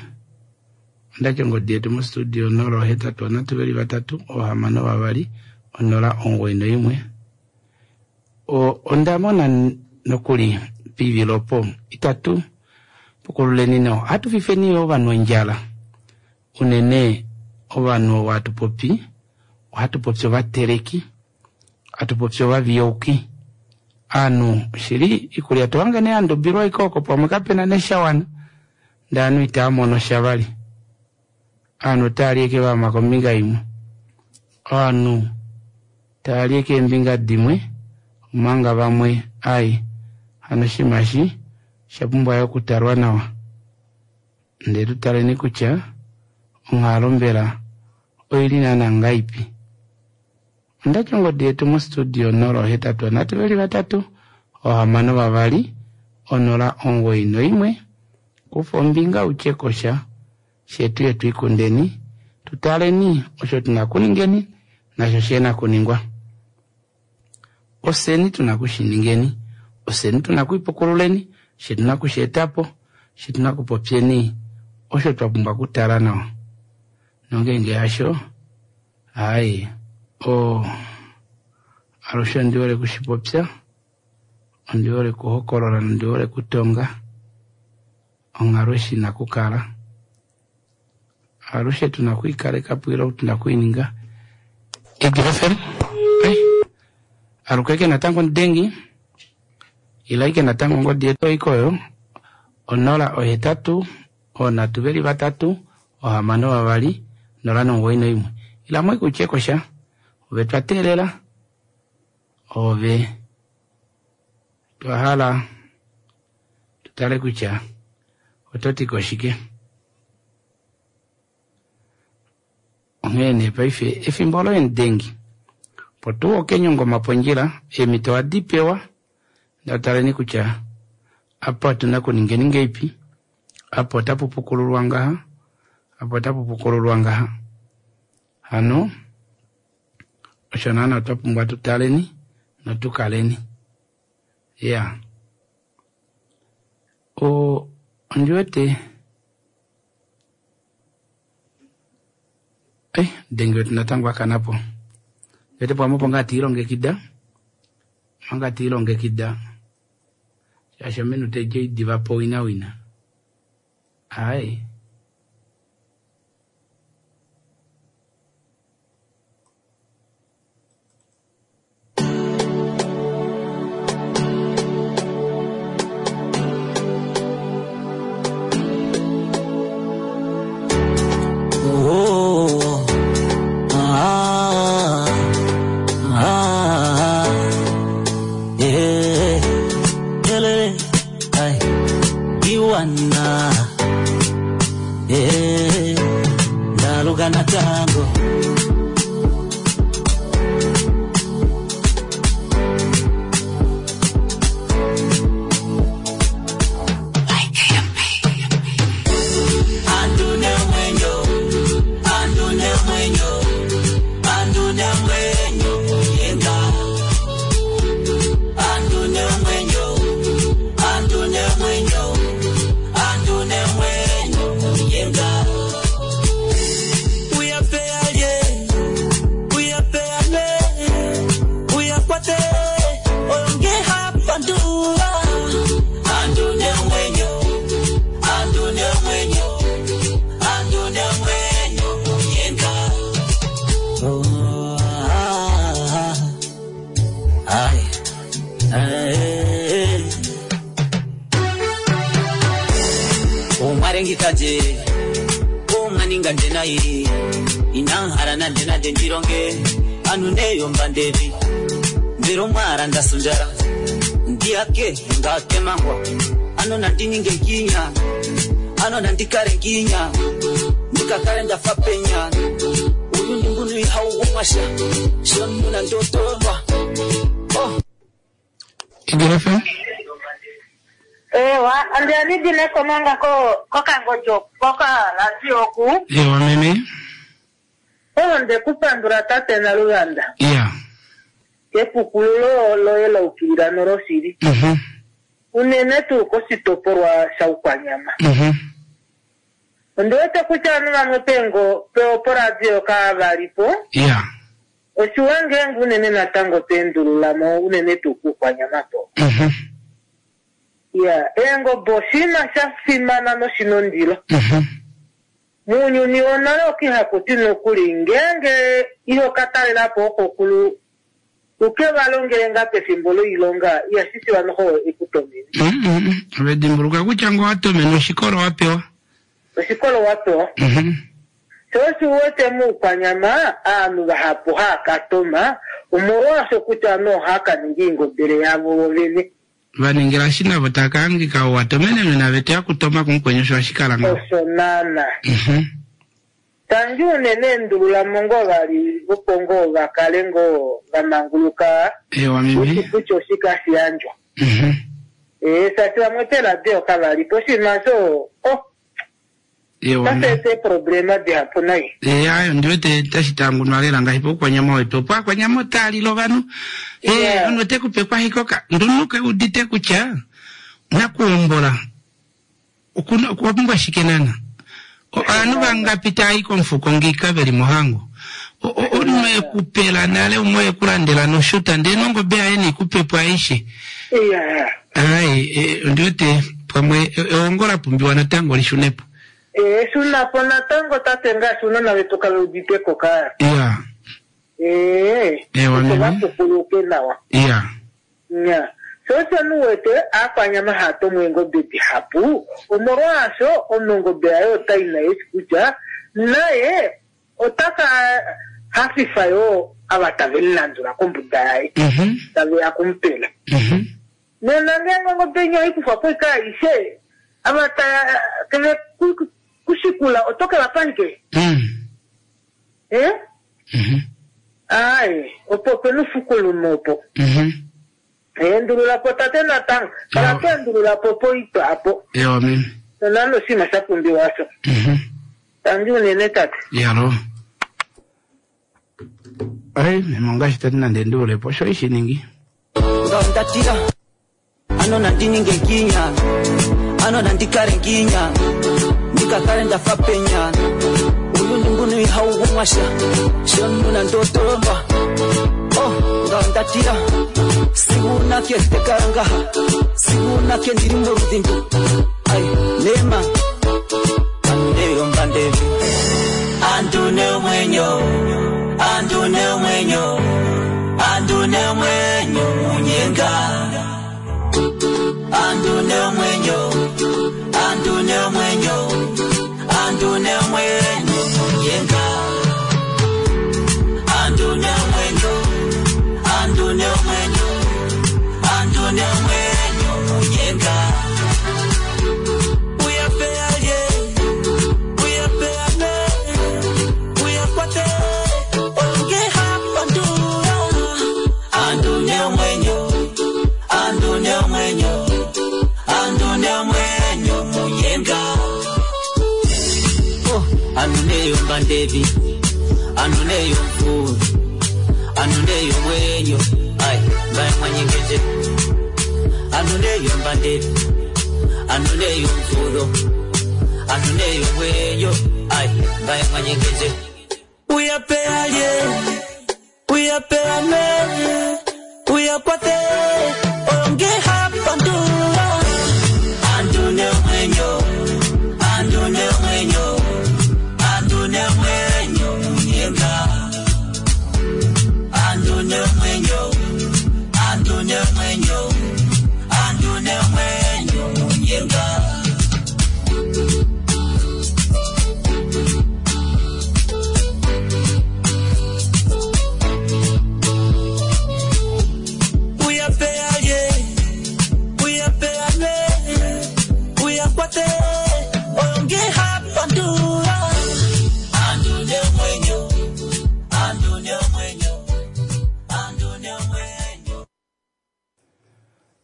[SPEAKER 1] ondati ongodi yetu mostudio onola ohetatu onhatu veli vatatu ohamano vavali onola omugoyi noimwe. Onda mona nokuli poivilo opo itatu pukululeni nawa, ohatu fifeni yo ovanhu ondjala unene ovanhu ovo hatu popi ohatu popi ovateleki, hatu popi ovaviyouki. Ovanhu shili iikulya tohange nee yandubilwa ike oko pamwe kapena neshawana ndee ovanhu itava mono sha vali. Ovanhu otava li eke vama kombinga imwe, ovanhu tava li eke eembinga dimwe omanga vamwe ai hano oshinima eshi osha pumbwa yo okutalwa nawa ndee tutaleni kutya onghalo mbela oili naana ngaipi. Ondati ongodi yetu mostudio onola ohetatu onhatu veli vatatu ohamano vavali onola omugoyi noimwe. Kufa ombinga utye kosha shetu yetu ikundeni tutaleni osho tuna kuningeni nasho shena kuningwa. Oseni tuna kushiningeni, oseni tuna kuipukululeni, she tuna kusheetapo, she tuna kupopyeni osho twa pumbwa okutala nawa. Nongeenge hasho ai o alushe ondi hole kushipopya, ondi hole kuhokolola nondi hole kutonga onghalo eshi ina kukala. Alushe tuna kuikalekapo ile tuna kuininga. Eagle F M aluke natango omudengi ila ike natango ongodi yetu oikoyo onola ohetatu onhatu veli vatatu ohamano vavali nola nomugoyi noimwe. Ila mo ikutye kosha ove twa teelela ove twa hala tutale kutya oto ti koshike. Onghee nee paife efimbo loye mudengi opo tuu okenyongoma pondjila eemhito ohadi pewa ndataleni kutya apa otuna kuningeni ngeipi, apa otapu pukululwa ngaha, apa otapu pukululwa ngaha. Hano osho naana otwa pumbwa tutaleni notukaleni. Ya O ondi wete eh denge wetu natango akanapo. Wete pamwe opo ngaa tiilongekida. Manga tiilongekida. Shaashi ominute edi diva po wina wina. Ai.
[SPEAKER 4] Oh, ah, ah, yeah, ele, ay, iwana, yeah, ndaluka na tango. Andune mwenyo, andune mwenyo, andune mwenyo, yenga. Andune mwenyo, andune mwenyo, andune mwenyo, yenga. Uyapeaye, uyapeane, uyakwate, onge hapandua. Andune mwenyo, andune mwenyo, andune mwenyo, yenga. Oh, ah, ah, ay, ay. Umwarengikaje umwaninga ndenayi inanharana ndenade ndironge anu neyomba ndevi ndiro mwara ndasunjara ndiyake ngatemangwa ano nandininge nginya ano nandikare nginya ndikakare ndafa penya uyu ndimbunu ihauumwasha shonuna ndotolwa oh.
[SPEAKER 1] Igil F M?
[SPEAKER 5] Ewa, andianidile komanga ko kokangojo koka radio oku.
[SPEAKER 1] Ewa meme.
[SPEAKER 5] Oyo ndekupandula tate Naluvanda.
[SPEAKER 1] Yeah.
[SPEAKER 5] Kepukululo loye la ukilila noloshili.
[SPEAKER 1] Mhm.
[SPEAKER 5] Unene tuu koshitopolwa shaUkwanyama.
[SPEAKER 1] Mhm.
[SPEAKER 5] Ondiwete kutya ovanhu vamwe pengo poradio kaavalipo.
[SPEAKER 1] Yeah.
[SPEAKER 5] Oshiwa ngeenge unene natango toendululamo unene tuu kuukwanyama po.
[SPEAKER 1] Mhm.
[SPEAKER 5] Ya, eengobe oshinima sha fimana noshina ondilo.
[SPEAKER 1] Mhm.
[SPEAKER 5] Muunyuni wonale okihakuti nokuli ngeenge iho ka talelapo okokulu uke va longele ngaa pefimbo loilonga ihashi shiwa noho ekutomene.
[SPEAKER 1] Mhm. Ove dimbuluka kutya ngo watomene oshikolo wa pewa.
[SPEAKER 5] Oshikolo wa pewa.
[SPEAKER 1] Mhm.
[SPEAKER 5] Sho osho uwete muukwanyama aanhu vahapu haa ka toma omolwaasho kutya ovanhu ohaa ka ninga oingobele yavo vovene.
[SPEAKER 1] Vaningila shi navo taka hangika watomenenwe nave teya kutoma kumukwenyu osho hashi kala ngaho.
[SPEAKER 5] Osho naana.
[SPEAKER 1] Mhm.
[SPEAKER 5] Tangi unene endululamo ngoo vali opo ngoo vakale ngoo vamanguluka
[SPEAKER 1] Ewa meme.
[SPEAKER 5] kutya oshike hashi yandjwa.
[SPEAKER 1] Mhm.
[SPEAKER 5] Ee, shaashi vamwe peeradio kavalipo oshinima osho oh,
[SPEAKER 1] Ewa
[SPEAKER 5] tashi
[SPEAKER 1] meme.
[SPEAKER 5] eta eeproblema dihapu nai.
[SPEAKER 1] Eh, ayo ndiwete tashi tangunwa lela ngaashi poukwanyama wetu opo akwanyama otaalila ovanhu eh
[SPEAKER 5] Yeah.
[SPEAKER 1] omunhu ote kupe kwahikoka ndunuke udite kutya nakuhombola okuna okwa pumbwa shike nana O- ovanhu vangapi taayi komufuko ngiika veli mohango O- o- omunhu ekupela nale umwe ekulandela noshuta ndee nongobe yaye neikupepo aishe
[SPEAKER 5] Iya.
[SPEAKER 1] ai eh, ondiwete pamwe e- eongo la pumbiwa natango lishunepo
[SPEAKER 5] Ee, shunapo natango tate ngaashi ounona vetu kave uditeko ka.
[SPEAKER 1] iya
[SPEAKER 5] Ee,
[SPEAKER 1] Ewa,
[SPEAKER 5] opo
[SPEAKER 1] meme.
[SPEAKER 5] vapukuluke nawa.
[SPEAKER 1] iya
[SPEAKER 5] Nya. Sho osho nuwete aakwanyama haya tomo eengobe dihapu omolwaasho omunhu ongobe yaye otai naye eshi kutya naye otaka hafifa yoo ava tave lilandula kombuda yaye
[SPEAKER 1] mhm
[SPEAKER 5] taveya kumupela.
[SPEAKER 1] mhm
[SPEAKER 5] Nena ngeenge ongobe inya oikufwa po ika aishe ava taya keve ku- kushikula oto ke vapa shike?
[SPEAKER 1] mm
[SPEAKER 5] Eh?
[SPEAKER 1] mhm
[SPEAKER 5] Ai, opo opena ufukulume opo.
[SPEAKER 1] mhm
[SPEAKER 5] Endululapo tate natango. Kala
[SPEAKER 1] Ewa.
[SPEAKER 5] to endululapo poitwa apo.
[SPEAKER 1] ewa meme
[SPEAKER 5] Nonande oshinima sha pumbiwa osho.
[SPEAKER 1] mhm
[SPEAKER 5] Tangi unene tate.
[SPEAKER 1] yalo ai meme ongaashi tati nande enduulepo osho ishi ningi
[SPEAKER 4] Ndatira ano nandininge nginya Ano nandikale nginya ndikakale ndafa penya uyuni mbuno ihaukumwasha shonuna ndotolomba oh ngandatira siunake tekarangaha siunake ndiri morudhindu ai nema anuneyo mbandevi andune mwenyo andune mwenyo andune mwenyo munyenga andune mwenyo andune mwenyo andune mwenyo munyenga andune mwenyo andune mwenyo andune mwenyo munyenga uyapealye uyapeane uyakwate onge hapandura andune mwenyo andune mwenyo andune mwenyo munyenga oh anuneyo mbandevi anuneyo mvuru anuneyo mwenyo ai mbaye mwanyengeje anuneyo mbandevi anuneyo mvuro anuneyo mwenyo ai mbaye mwanyengeje uyapealye uyapeane uyakwate onge hapandura andune mwenyo andune mwenyo andune mwenyo munyenga andune mwenyo andune mwenyo andune mwenyo munyenga uyapealye uyapeane uyakwate onge hapandura andune mwenyo andune mwenyo andune mwenyo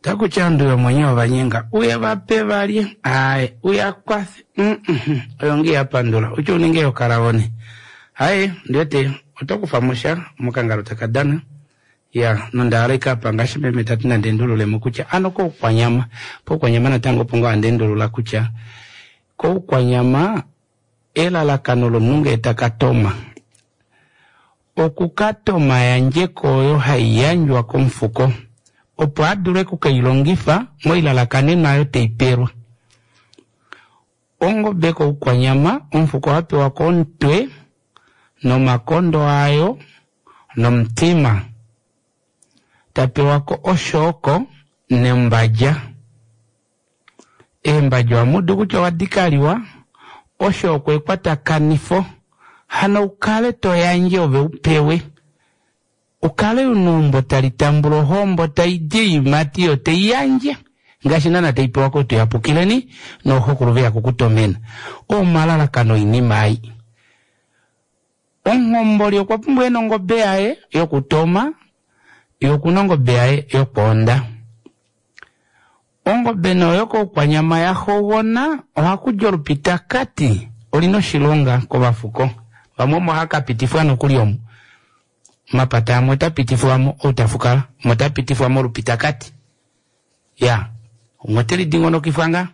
[SPEAKER 1] Takuchanduwe mwenyewe vanyenga uye vape valye aye uyakwathe mm -mm. Oyo nge yapandula ucho uninge yokalavone aye ndiwete otokufa musha mukangalo takadana ya nondaaleka apa ngaashi meme tati nandendululemo kutya ano koukwanyama poukwanyama natango pongo andendulula kutya koukwanyama elalakano lomunhu ngee takatoma okukatoma yandjeko oyo haiyandjwa komufuko opo adule okukeilongifa moilalakanenwa ayo teipelwa. Ongobe koukwanyama omufuko ohapewa komutwe nomakondo ayo nomutima tapewako oshooko nembadja. Eembadja ohamudu kutya owadikaliwa oshooko ekwatakanifo hano ukale toyandje ove upewe ukale una tali tambula ohombo taidi oiimati yo teiyandje ngaashi naana taipewa kotuyapukileni nooxokulu veya kukutomena. Omalalakano oinima ai. Omuhomboli okwa pumbwa ena ongobe yaye yokutoma yokuna ongobe yaye yokwoonda. Ongobe noyo koukwanyama yaxogona ohakudi olupitakati olina oshilonga kovafuko vamwe omo hakapitifwa nokuli omo mapata amwe otapitifwamo outafukala umwe otapitifwamo olupitakati ya umwe otelidingonokifwa nga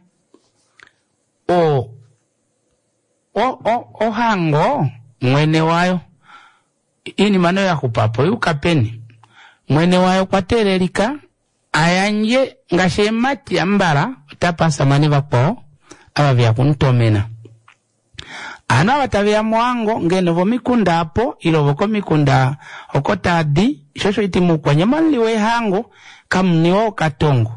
[SPEAKER 1] o o o ohango mwene wayo iinima nayo yaxupapo yuka peni mwene wayo okwa teelelika ayandje ngaashi eemati ambala otapa asamane vakwao ava veya kumutomena. Ano ava taveya mohango ngeno vomikunda apo ile vokomikunda oko taadi shosho iti moukwanyama muliwa ehango kamuniwa okatongo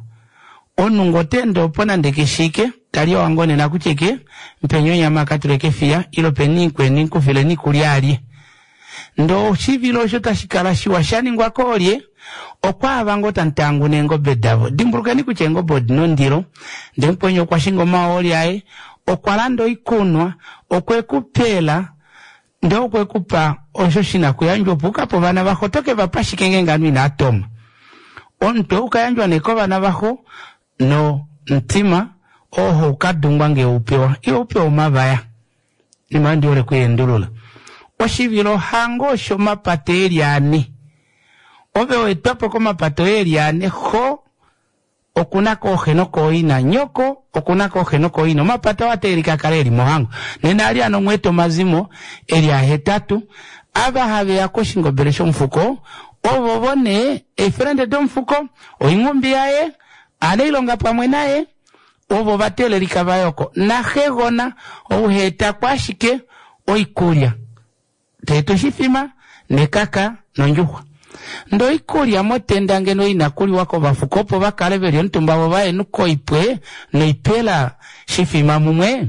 [SPEAKER 1] omunhu ngee otaende opo nande keshike tali ohango nena kutya ke mpeni onyama akatule kefiya ile peni ikweni nkufileni ikulya alye ndee oshivilo osho tashikala shiwa shaningwa koolye okwaava ngoo tamutanguna eengobe davo. Dimbulukeni kutya eengobe odina ondilo ndee mukweni okwa shinga omahooli aye okwa landa oikunwa okwekupela ndee okwekupa osho shina okuyandjwa opo ukape ovana vaxo oto kevapa shike ngeenge ovanhu inaatoma. Omutwe ukayandjwa nee kovana vaxo nomutima oo haukadungwa ngee upewa ile upewa omavaya inima oyo ndihole okuyendulula. Oshivilo hango oshomapata eli ane ove weetwapo komapata oye eli ane xo okuna kooxe nokooina, nyoko okuna kooxe nokooina, omapata oo ateelika akale eli mohango. Nena ali ano omweeta omazimo eli ahetatu, ava haveya koshingobele shomufuko, ovovo nee eefrende domufuko, oinghumbi yaye, anailonga pamwe naye, ovo vateelelika vayoko. Naxegona ou heetako ashike oikulya, teeta oshifima nekaka nondjuxwa. Ndee oikulya motenda ngeno ina kuliwa kovafuko opo vakale veli omutumba vo vahenuka oipwe noipela shifima mumwe,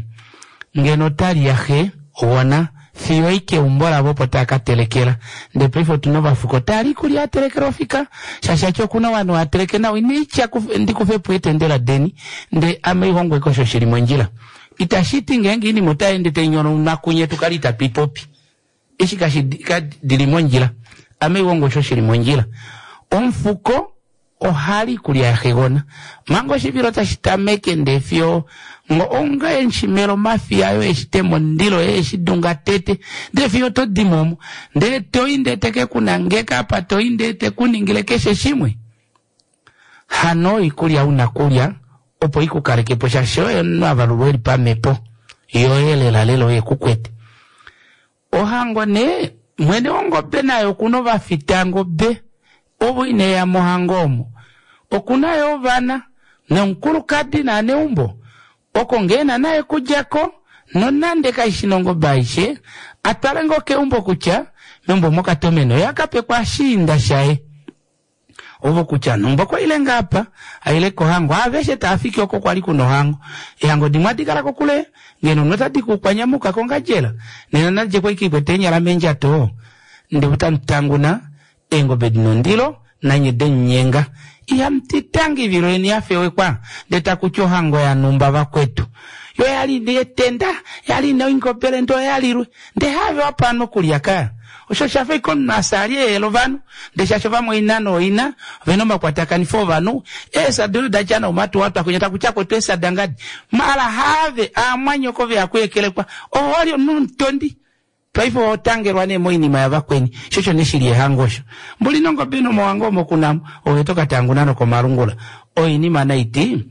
[SPEAKER 1] ngeno otali yaxe wona fiyo i keumbo lavo opo tava ka telekela. Ndee paife otuna ovafuko tali ikulya yatelekelwa ofika, shaashi ati okuna ovanhu hateleke nawa, ina itya ndikufepo etendela deni, ndee ame ihongweko osho shili mondjila. Itashi ti ngeenge oinima otayeende tainyonauka kunye tukale itatu ipopi. Eshi kashi dili mondjila, ame ihongo osho shili mondjila. Omufuko ohali ikulya yaxegona manga oshivilo tashi tameke, ndee fiyo onga enshimelo omafiya ayo eshitema omundilo eeshidunga tete, ndee fiyo todimo omo, ndee toi ndee teke kunangeka apa, toi ndee tekuningile keshe shimwe. Hano oikulya una kulya opo ikukalekepo, shaashi oyo omunhu avalulwa eli pamhepo yoye lela lela oye kukwete. Ohango nee mwene wongobe naye okuna ovafitangobe ovo ineya mohango omo, okuna yo ovana nomukulukadi naaneumbo oko ngeena naye kudjako, nonande kaishi nongobe aishe, atwale ngoo keumbo kutya meumbo mokatomeno ye akapekwa ashiinda shaye. Ovo kutya numba okwa ile ngaapa, aile kohango, aveshe taafiki oko kwali kuna ohango. Ehango dimwe adi kala kokule, ngeno notadi kukwanyamuka kongandjela, nena nadje kwai kwete eenyala mendjato, ndee otamutanguna eengobe dina ondilo nanye demunyenga. Ihamutitangi ivilo yeni yafewekwa, ndee takuti ohango yanumba vakwetu. Yo yali ina etenda, yali ina oingobele ndee oyalilwe, ndee have wapano okulya ka. Osho shafa ashike omunhu asali ehela ovanhu, ndee shaashi ovamwaina nooina ovena omakwatakanifo ovanhu, eesada odo datya noumatuwatwa kwinya takutya kwetu eesada ngadi, maala have aamwanyoko veya kuekelekwa, owali omunhu omutondi. Paife ohotangelwa nee moinima yavakweni, sho osho nee shili ehango osho. Mbuli nongobe nomohango omo kunamo, ove tokatanguna nokomalungula. Oinima naiti,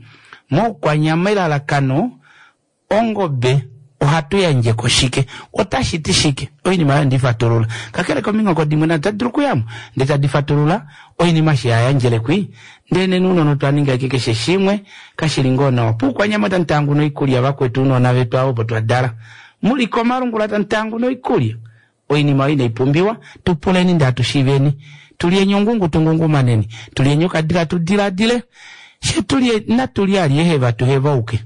[SPEAKER 1] moukwanyama elalakano, ongobe ohatu yandjeko shike, otashi ti shike, oinima oyo ndifatulula. Kakele kominghoko dimwe nado tadi dulu okuyamo, ndee tadi fatulula oinima shi yayandjelekwi, ndee nena ounona otwa ninga ashike keshe shimwe, kashili ngoo nawa. Poukwanyama otamu tanguna oikulya vakwetu ounona vetu avo opo twadala. Muli komalungula tamu tanguna oikulya. Oinima oyo inaipumbiwa, tupuleni ndee hatushiiveni. Tulyeni ongungu tungungumaneni, tulyeni okadila tudiladile, she tulye natulye alye tuhevauke.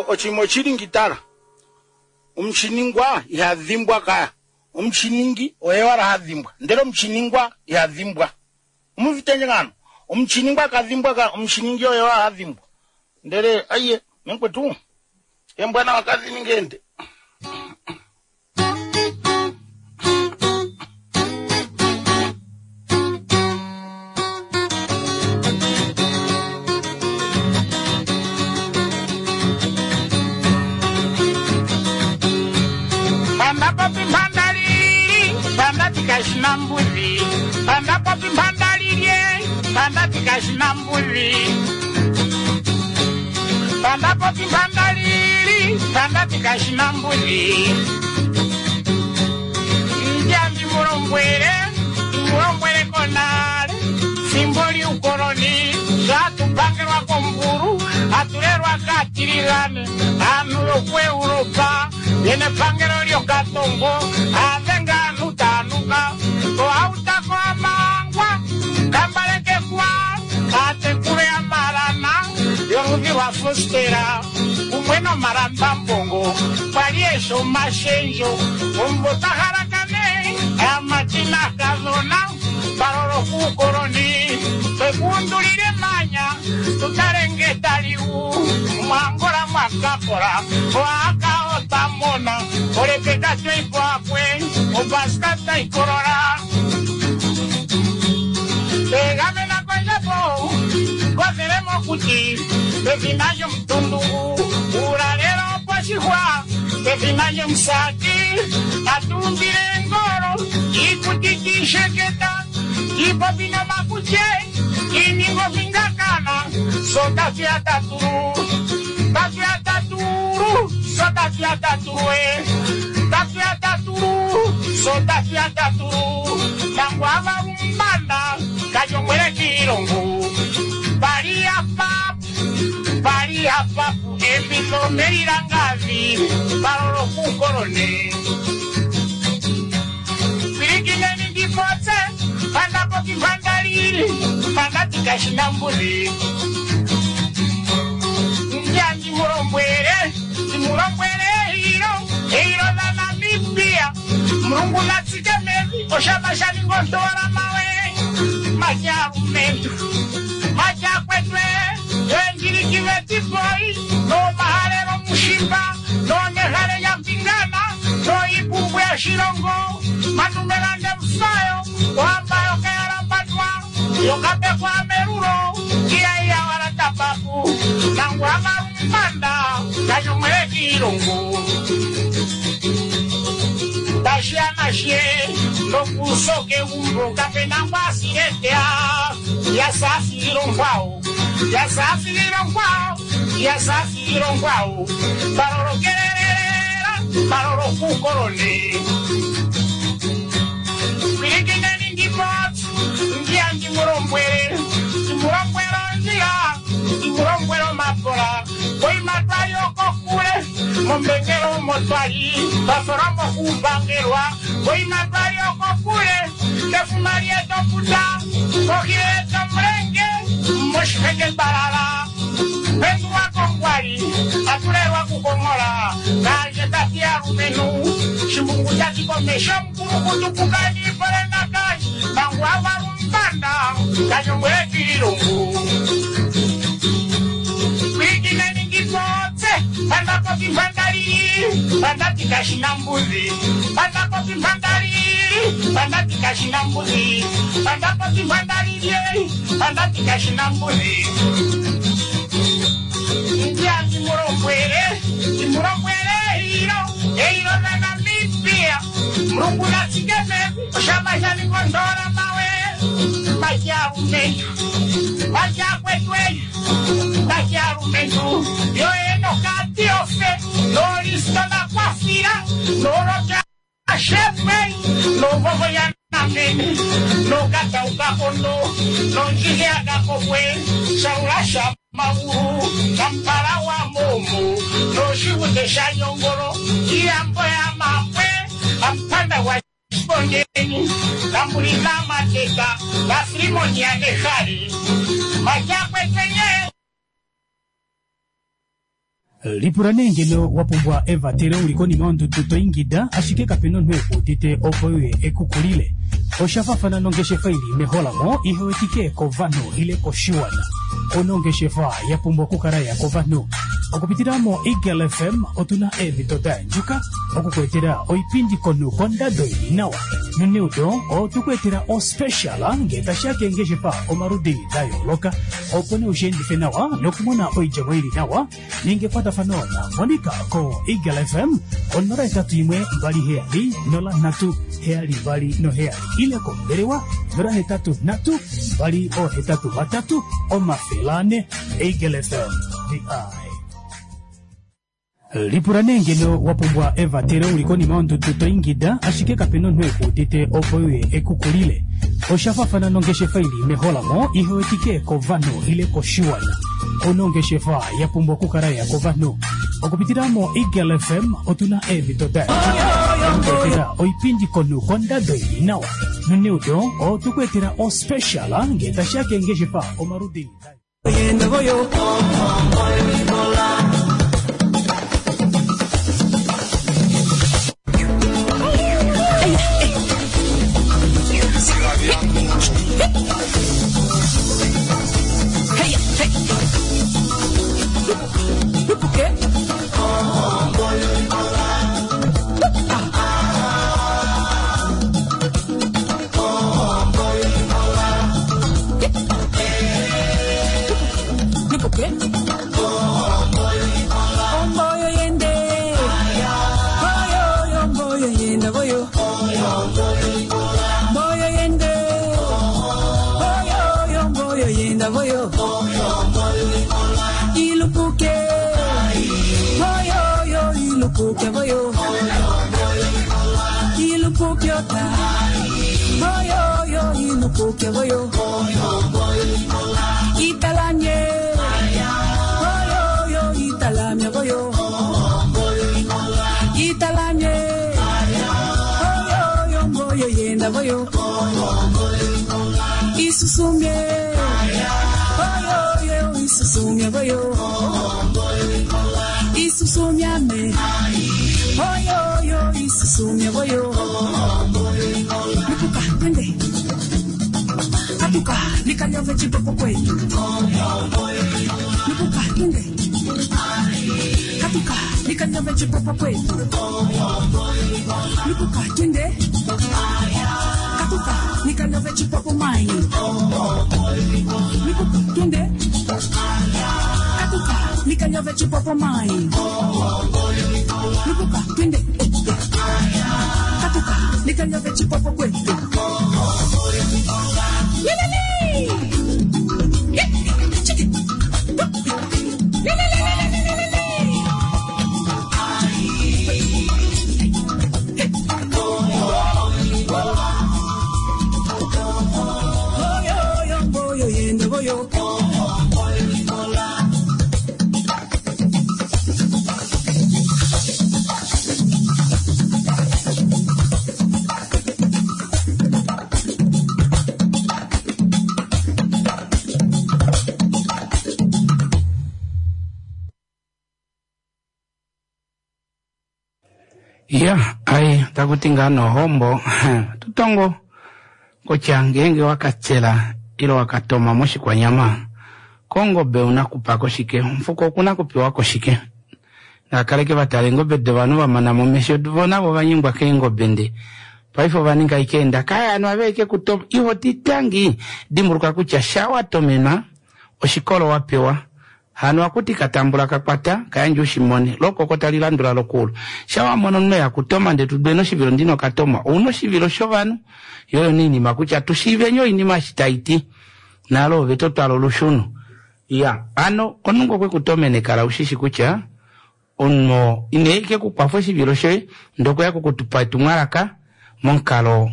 [SPEAKER 6] Ochimo ochiringitala omuchiningwa ihadhimbwa kaya, omuchiningi oye wala hadhimbwa, ndele omuchiningwa ihadhimbwa. Omuvitenje ngano omuchiningwa kadhimbwa ka, omuchiningi oye wala hadhimbwa. Ndele aiye menkwetu embwana wakadhi ningende. Panda popi mpanda lili, panda tikashina mbuzi. Panda popi mpanda lilye, panda tikashina mbuzi. Panda popi mpanda lili, panda tikashina mbuzi. Njambi mulombwele, mulombwele konale, fimbo liukoloni, zatupangelwa komburu, atulelwa katiligane, anu yokuEuropa, yene pangelo lyokatongo, avenga anu tanuka, oautako amangwa, kambalekekwa, atekule amalana, yoludhi lwa fostera, kumwe nomalambambongo, kwali esho mashenjo, ombo tahalakane, amatina kazona, balolo kuukoloni, twekundulile manya, tutalenge taliu, mwangola mwakakola, oaka otamona, olepeka tweikwakwe, opaska taikolola. Tegamena kwenjapo, kozele mokuti, pefina lyomutundu, ulalelo poshihwa, pefina lyomusati,
[SPEAKER 1] Atumbile ngolo Ikutitisheketa Ipopi nomakuche Iningo fingakana Sotafia taturu Tafia taturu Sotafia taturu eh. Tafia taturu Sotafia taturu Nangwava umbanda Kanyongwele kilongo Paria papu Paria papu Epito merirangavi Parolo kukorone Pirikineni ndipotse Pandapo kipandalili Pandatika mbuzi Nja ndimulombwele Ndimulombwele hilo Hilo la Namibia Mulungu natsike mevi Oshama shaningondola mawe Macharumentu Machakwetwe Enjirikivetipoi Nomahalelo mushimba Nonehale yampingana Noipumbwe ya shilongo Manumelande mfayo Wambayo kayalambadwa Yokapekwa merulo Kiaiya wala tapapu Nangwa marumbanda Kanyomwele kilongo Tashianashe Nokusoke umbo Kapenangwa siretea Yasafirongwao Yasafirongwao Yasafirongwao Parorokerera Parorokukorone Pirikineni ndipot Ndia ndimulombwele Ndimulombwelo ndia Ndimulombwelo mapola Koimatwa yokokule Mombengelo motwali Bafora mokupangelwa Koimatwa yokokule Kefuma lyetoputa Kohileto mulenge Moshiheke balala Pendulwa kongwali Atulelwa kukongola Kanje tati alumenu Shimbungu tatikomesha mkulukutukukani Polenga kashi Mangwa walumbanda Kanyongwele kilungu Pirikineni ngipotse Pandapopi mpandalili Pandatika shinambuzi Pandapopi mpandalili Pandatika shinambuzi Pandapopi mpandalili Pandatika shinambuzi Ndia ndimulombwele Ndimulombwele hilo Eilo la Namibia Mulungu natsikeme Oshama shaningondola mawe Macharumentu Machakwetwe Macharumentu Yoenokatiofe Nolistona kwafira Noloka shepwe Novovoyanamene Nokataukakondo Nonjiheakakokwe Saulasha mauru Kampala wa momo Noshiwute shanyongolo Iyambo ya mapwe Ampanda wa shibondeni Kambulila mateka Lafrimoni ya nehali Machakwetwenye
[SPEAKER 7] Lipula nee ngeno wapumbwa evatelo uli konima yondudu toingida ashike kapena omunhu ekuudite opo uye ekukulile. Oshafafana nongeshefa ili meholamo ihewetike kovanhu ile koshiwana. Onongeshefa yapumbwa okukala ya kovanhu. Okupitila mo Eagle F M otuna eemhito da yandjuka okukuetela oipindi komunhu kondado ili nawa. Noneudo otukuetela ospecial ngee tashiya keengeshefa omaludi da yooloka opo nee ushiendife nawa nokumona oidjemo ili nawa ninge ekwatafano na Monica ko Eagle F M onola hetatu imwe mbali heyali nola nhatu heyali mbali noheyali ile kombelewa nola hetatu nhatu mbali ohetatu vatatu omafele ane. Eagle F M the eye. Lipula nee ngeno wapumbwa evatelo uli konima yondudu toingida ashike kapena omunhu ekuudite opo uye ekukulile. Oshafafana nongeshefa ili meholamo ihewetike kovanhu ile koshiwana. Onongeshefa yapumbwa okukala ya kovanhu. Okupitila mo Eagle F M otuna eemhito da yandjuka oipindi komunhu kondado ili nawa. Noneudo otukuetela ospecial ngee tashiya keengeshefa omaludi da
[SPEAKER 4] Nipoke. voyo Ilupukyota Voyo yo ilupukya voyo Italanye Voyo yo italamya voyo Italanye Voyo yo voyo yenda voyo Isusumye Voyo yo isusumye voyo Isusumyame Voyo yo isusumye voyo Lupuka twende Katuka nikanyove chipopo kwetu Lupuka twende Katuka nikanyove chipopo kwetu Lupuka twende Katuka nikanyove chipopo maini Lupuka twende Katuka nikanyove chipopo maini Lupuka twende Katuka nikanyove chipopo kwetu Lelele Chiki Lelele Voyo yo voyo yenda voyo
[SPEAKER 1] Ya, ai takuti nga nohombo tutongo kutya ngeenge wakatsela ile wakatoma moshikwanyama kongobe una kupako shike omufuko okuna kupewa shike nakaleke vatala eengobe dovanhu vamana momesho vo navo vanyengwa keengobe nde paife ovaninga ike enda kaya anu aveike kutoma iho titangi dimbuluka kutya sha watomenwa oshikolo wapewa hano akuti katambula kakwata kayandja ushimone lokoko talilandula lokulu shawamona omunhu yakutoma nde tudwe noshivilo ndino katoma ouna oshivilo shovanhu yoyo niinima kutya tushiivenye oinima eshi taiti nalo ove totwala olushunu ya ano omunhu ngo kwekutomene kala ushishi kutya omunhu ineike kukwafa oshivilo shoye ndee okweya kukutupa etumwalaka momukalo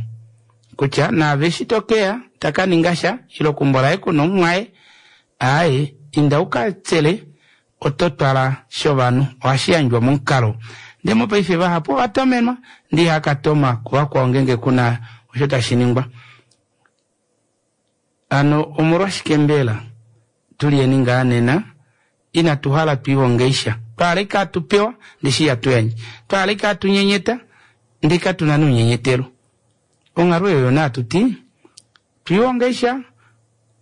[SPEAKER 1] kutya naave eshi tokeya takaninga sha ile okumbo laye kuna omumwaye aaye inda ukatsele oto twala shovanhu ohashi yandjwa momukalo ndee mopaife vahapu ovatomenwa ndee ihakatoma kuvakwao ngeenge kuna osho tashi ningwa ano omolwashike mbela tuliyeni ngaa nena inatu hala twiihongeisha twahala ike atupewa ndee shi ihatu yandje twahala ike atunyenyeta ndee katuna nounyenyetelo onghalo oyo yona atuti twiihongeisha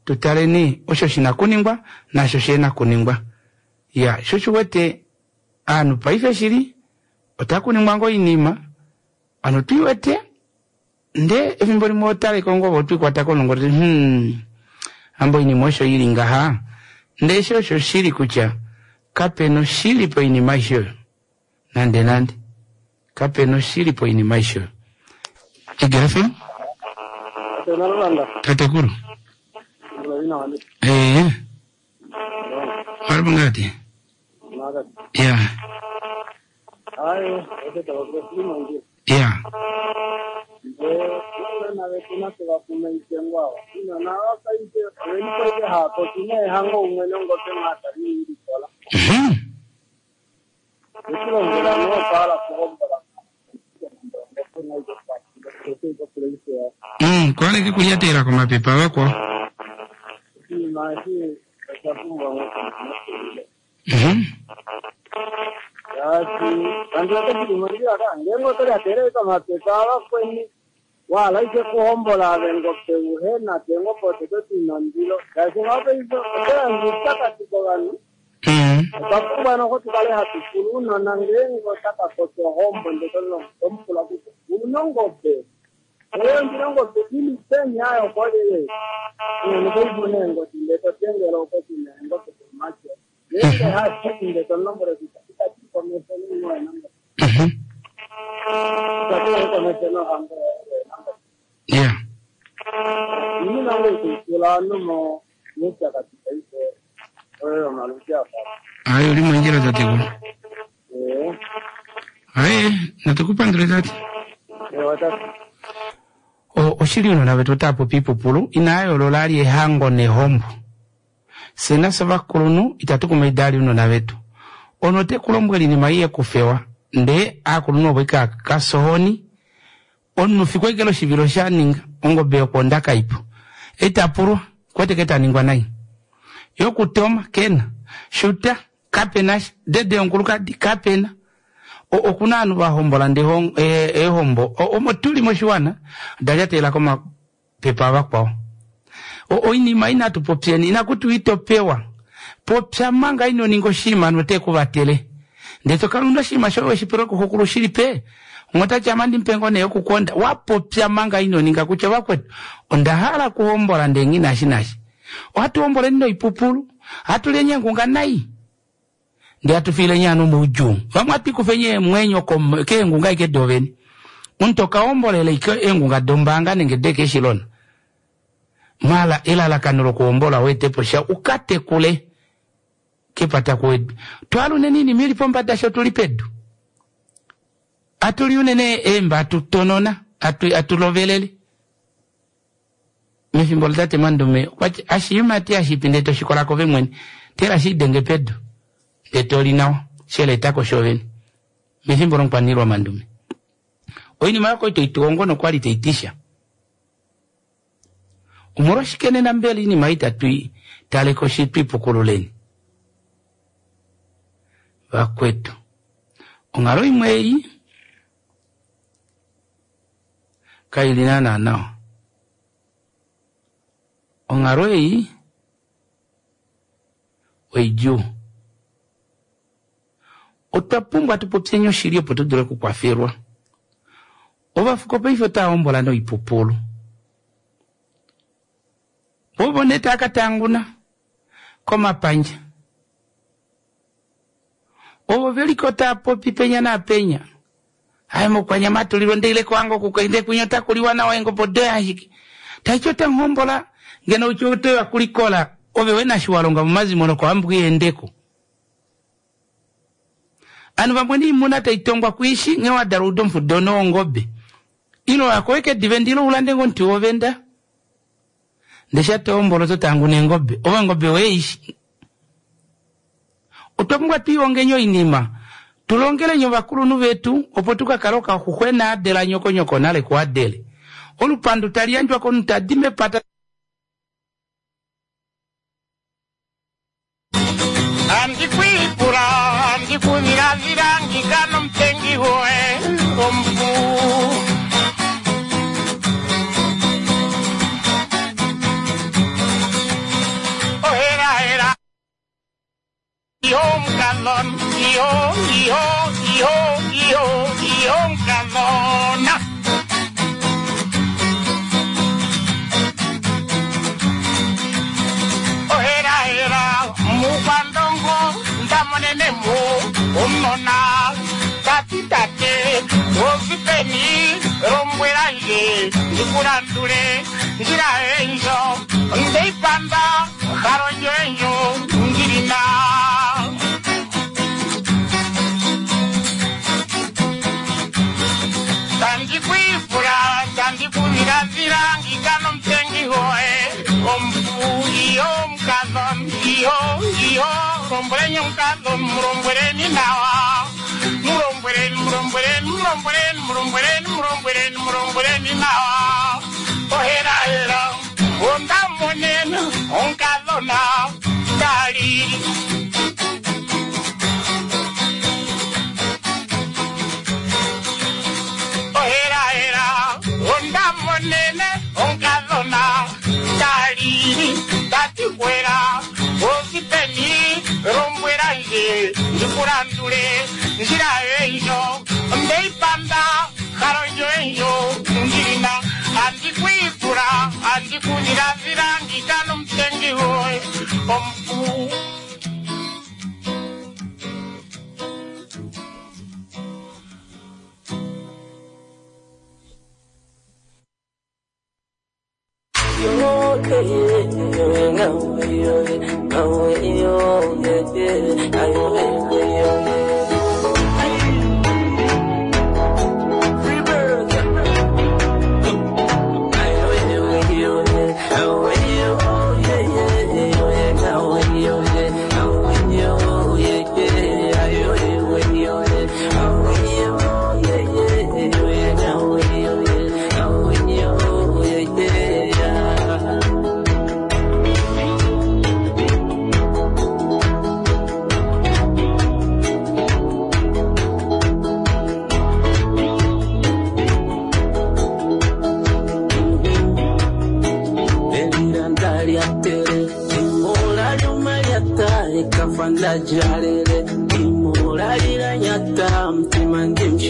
[SPEAKER 1] tutaleni osho shina kuningwa naasho shihena kuningwa ya sho oshiwete aanhu paife shili otakuningwa ngoo oinima ano twiiwete ndee efimbo limwe otaleko ngoo ove otwiikwata komulungu toti hmm ambo oinima osho ili ngaha ndee eshi osho shili kutya kapena oshili poinima aishe oyo nande nande kapena oshili poinima aishe oyo Igelefe tatekulu ee walipo ngati ya ya Mhm. Mm, kwaleke kulyatela komapepa vakwao Mhm.
[SPEAKER 8] Wala ike kuhombola avengope uhena tengopo teto tinondilo shaashi ngapaife otoyandja kovanhu
[SPEAKER 1] Mm.
[SPEAKER 8] otwa pumbwa noho tukale hatu pula uunona ngeenge otaka kotya ohombo ndee tomupula kutya una ongobe oyo ndina ongobe ili peni ayo kolele unonikoipu neengodi ndee totengele okoti neengobe domake ngeenge hashiki ndee tomulombwele kutya itati komesho ningoenangobe
[SPEAKER 1] Mhm.
[SPEAKER 8] itati komesho nohango yoenangobe
[SPEAKER 1] ya
[SPEAKER 8] inima ngoikuipula ovanhu mo muupyakadi paife oyo yomaludi apa
[SPEAKER 1] ayi oli mondjila tatekulu
[SPEAKER 8] ee
[SPEAKER 1] Aye, natukupandule tate.
[SPEAKER 8] Ewa tate.
[SPEAKER 1] O- oshili ounona vetu otava popi oipupulu inaa yoolola ali ehango nehombo. Fye nafye ovakulunhu itatu kumaida ali ounona vetu. Omunhu ote ku lombwele oinima ei yekufewa ndee aakulunhu ovo ika kasohoni omunhu fiku ashike loshivilo shaninga ongobe yokwoonda kaipo itapulwa kwete ke taningwa nai yokutoma kena shuta kapenasha dede yomukulukadi kapena. Okuna ovanhu vahombola ndee eehombo omo tuli moshiwana oda lyatelela komapepe avakwao. Oinima inatu popyeni inakutiwa itopewa popya manga ino ninga oshinima note kuvatele ndee tokala una oshinima shoye weshipelwe kuxokulu shilipe ongotati amandi mupe ngoo nee yokukonda wapopya manga ino ninga kutya vakwetu onda hala kuhombola ndee nghi nashi nashi. Ohatu homboleni noipupulu ohatu lenye eengunga nai ndee hatu fiilenye ovanhu moudjuu. Vamwe ohatu ikufenye eemwenyo keengunga ashike dovene. Omuntu toka hombolele ike eengunga dombaanga nenge dekeshilona. Mala elalakano lokuhombola weetepo sha ukatekule kepata kuwedu. Twala unene oinima ili pombada sho tuli pedu. Atuli unene eemba atutonona atulovelele. Mefimbo latate Mandume okwati ashiyimati ashipi ndee toshikola kove mwene tela shidenge pedu ndee toli nawa sheleetako shovene. Mefimbo lomukwaniilwa Mandume. Oinima yoko itoituhongo nokwali taitisha. Omolwashike nena mbela oinima itatu taleko shi twipukululeni. Vakwetu. Onghalo imwe ei kaili naana nawa. Onghalo ei oidjuu. Otwa pumbwa tupopyeni oshili opo tudule okukwafelwa. Ovafuko paife otava hombola noipupulu. Ovo nee tava katanguna komapandja. Ovo veliko tava popi penya naapenya. Aye mokwanyama tulilwe ndeile kohango kukainde kwinya otakuliwa nawa eengobe odoye ashike. Taiti otamuhombola ngeno utye otoya kulikola ove wena shi walonga momazimo nokohambo iendeko. Ovanhu vamwe niimuna taitongwa kuishi nghee wadala uda omufudo wongobe. Ilo wako weke divenda ilo ulande ngoo omuti wovenda. Ndee shatohombola oto tanguna eengobe. Ove ongobe weishi. Otwa pumbwa twiihongeni oinima. Tulongelenye ovakulunhu vetu opo tukakale okaxuxwena adela nyokonyoko nale kuadele. Olupandu tali yandjwa komunhu tadi mepata.
[SPEAKER 6] Andikwipula andikudhiladhila ngika nomutengi goye omupu. Ohela hela iho omukadhona iho iho iho iho iho omukadhona. Ohela hela mukwandongo ndamonene mu omunona tati tate ozipeni lombwelandje ndikulandule ndjila endjo ndeipanda halo ndjo ndilina. Tandikwifula tandikudhiladhila ngika nomutengi goye omupu iyo omukadhona iyo iyo lombweleni omukadhona mulombweleni nawa mulombweleni mulombweleni mulombweleni mulombweleni mulombweleni mulombweleni nawa. Ohela hela ondamonene omukadhona tali. Ohela hela ondamonene omukadhona tali tati kwela osipeni lombwelandje ndikulandule ndjila endjo ndeipanda halo ndjo endjo ndilina. Andikwifula andikudhiladhila ngika nomutengi goye omupu.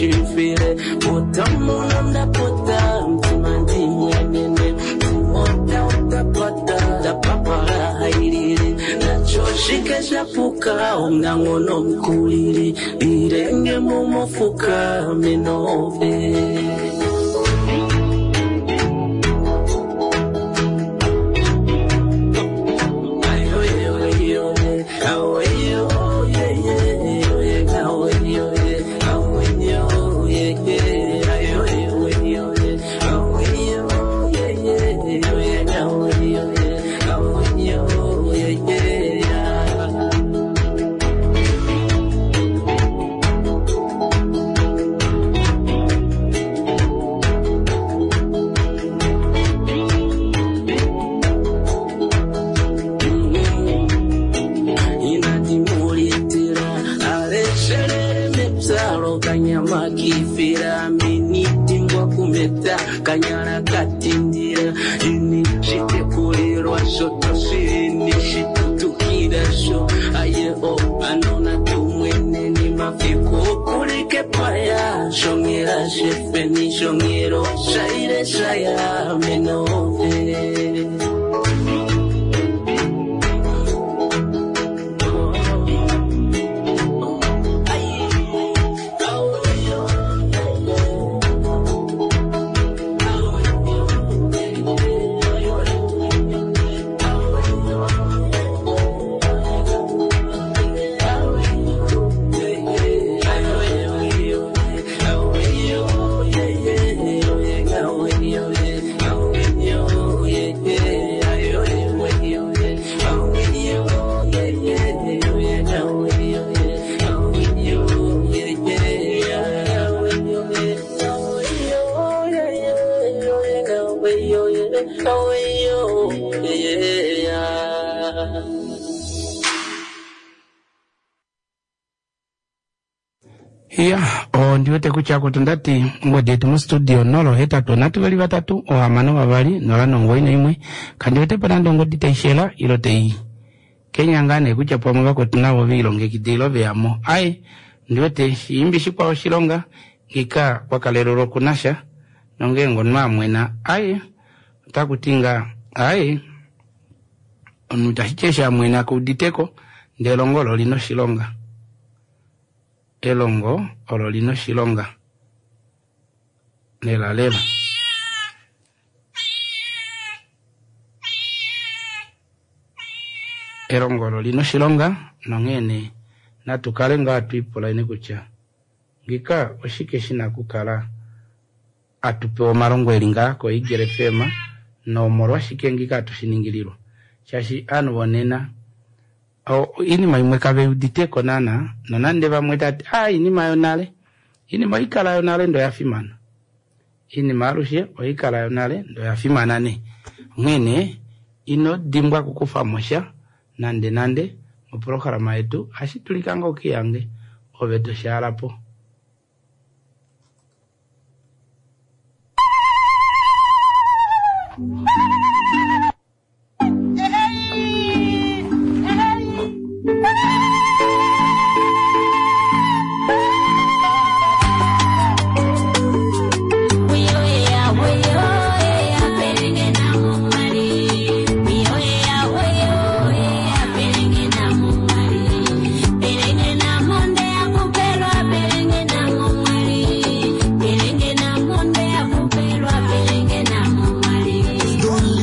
[SPEAKER 9] shifile Potamu ndapota mtimandi mwenene Ota utapata tapapara hailile Nachoshike shapuka omnangono mkulili Lirenge mumofuka menove Inadimulitira alesherere mepsalo kanyama kifira minitimbwa kumeta kanyara katindira ini shitekulirwa shotoshini shitutukira sho aye o anona tumweneni mafiko kulike paya shongera shefeni shongero shaire shaya menove
[SPEAKER 1] Iya, ondiwete kutya kutu ndati ngodi yetu mustudio nolo hetatu nhatu veli vatatu ohamano vavali nola nongoyi naimwe kandiwetepo nande ongodi taishela ilo tai kenya ngaa nee kutya pamwe vakwetu navo veilongekida ilo veyamo ai ndiwete shiimbi shikwao oshilonga ngika kwakalelelwa okunasha nongeenge omunhu amwena ai otakuti nga ai omunhu itashiti eshi amwena keuditeko ndee elongo olo olina oshilonga elongo olo lina oshilonga lela lela elongo olo lina oshilonga nonghee nee natu kale ngaa twiipulaine kutya ngika oshike shina okukala atupewa omalongo eli ngaa ko Eagle F M nomolwashike ngika atushiningililwa shaashi ovanhu vonena iinima imwe kaveuditeko naana nonande vamwe tati a iinima yonale iinima oikala yonale ndo yafimana iinima alushe oikala yonale ndo yafimana nee onghee nee ino dimbwa okukufamo sha nande nande moprograma yetu ohashi dulika ngoo ukihange ove toshaalapo.
[SPEAKER 3] Don't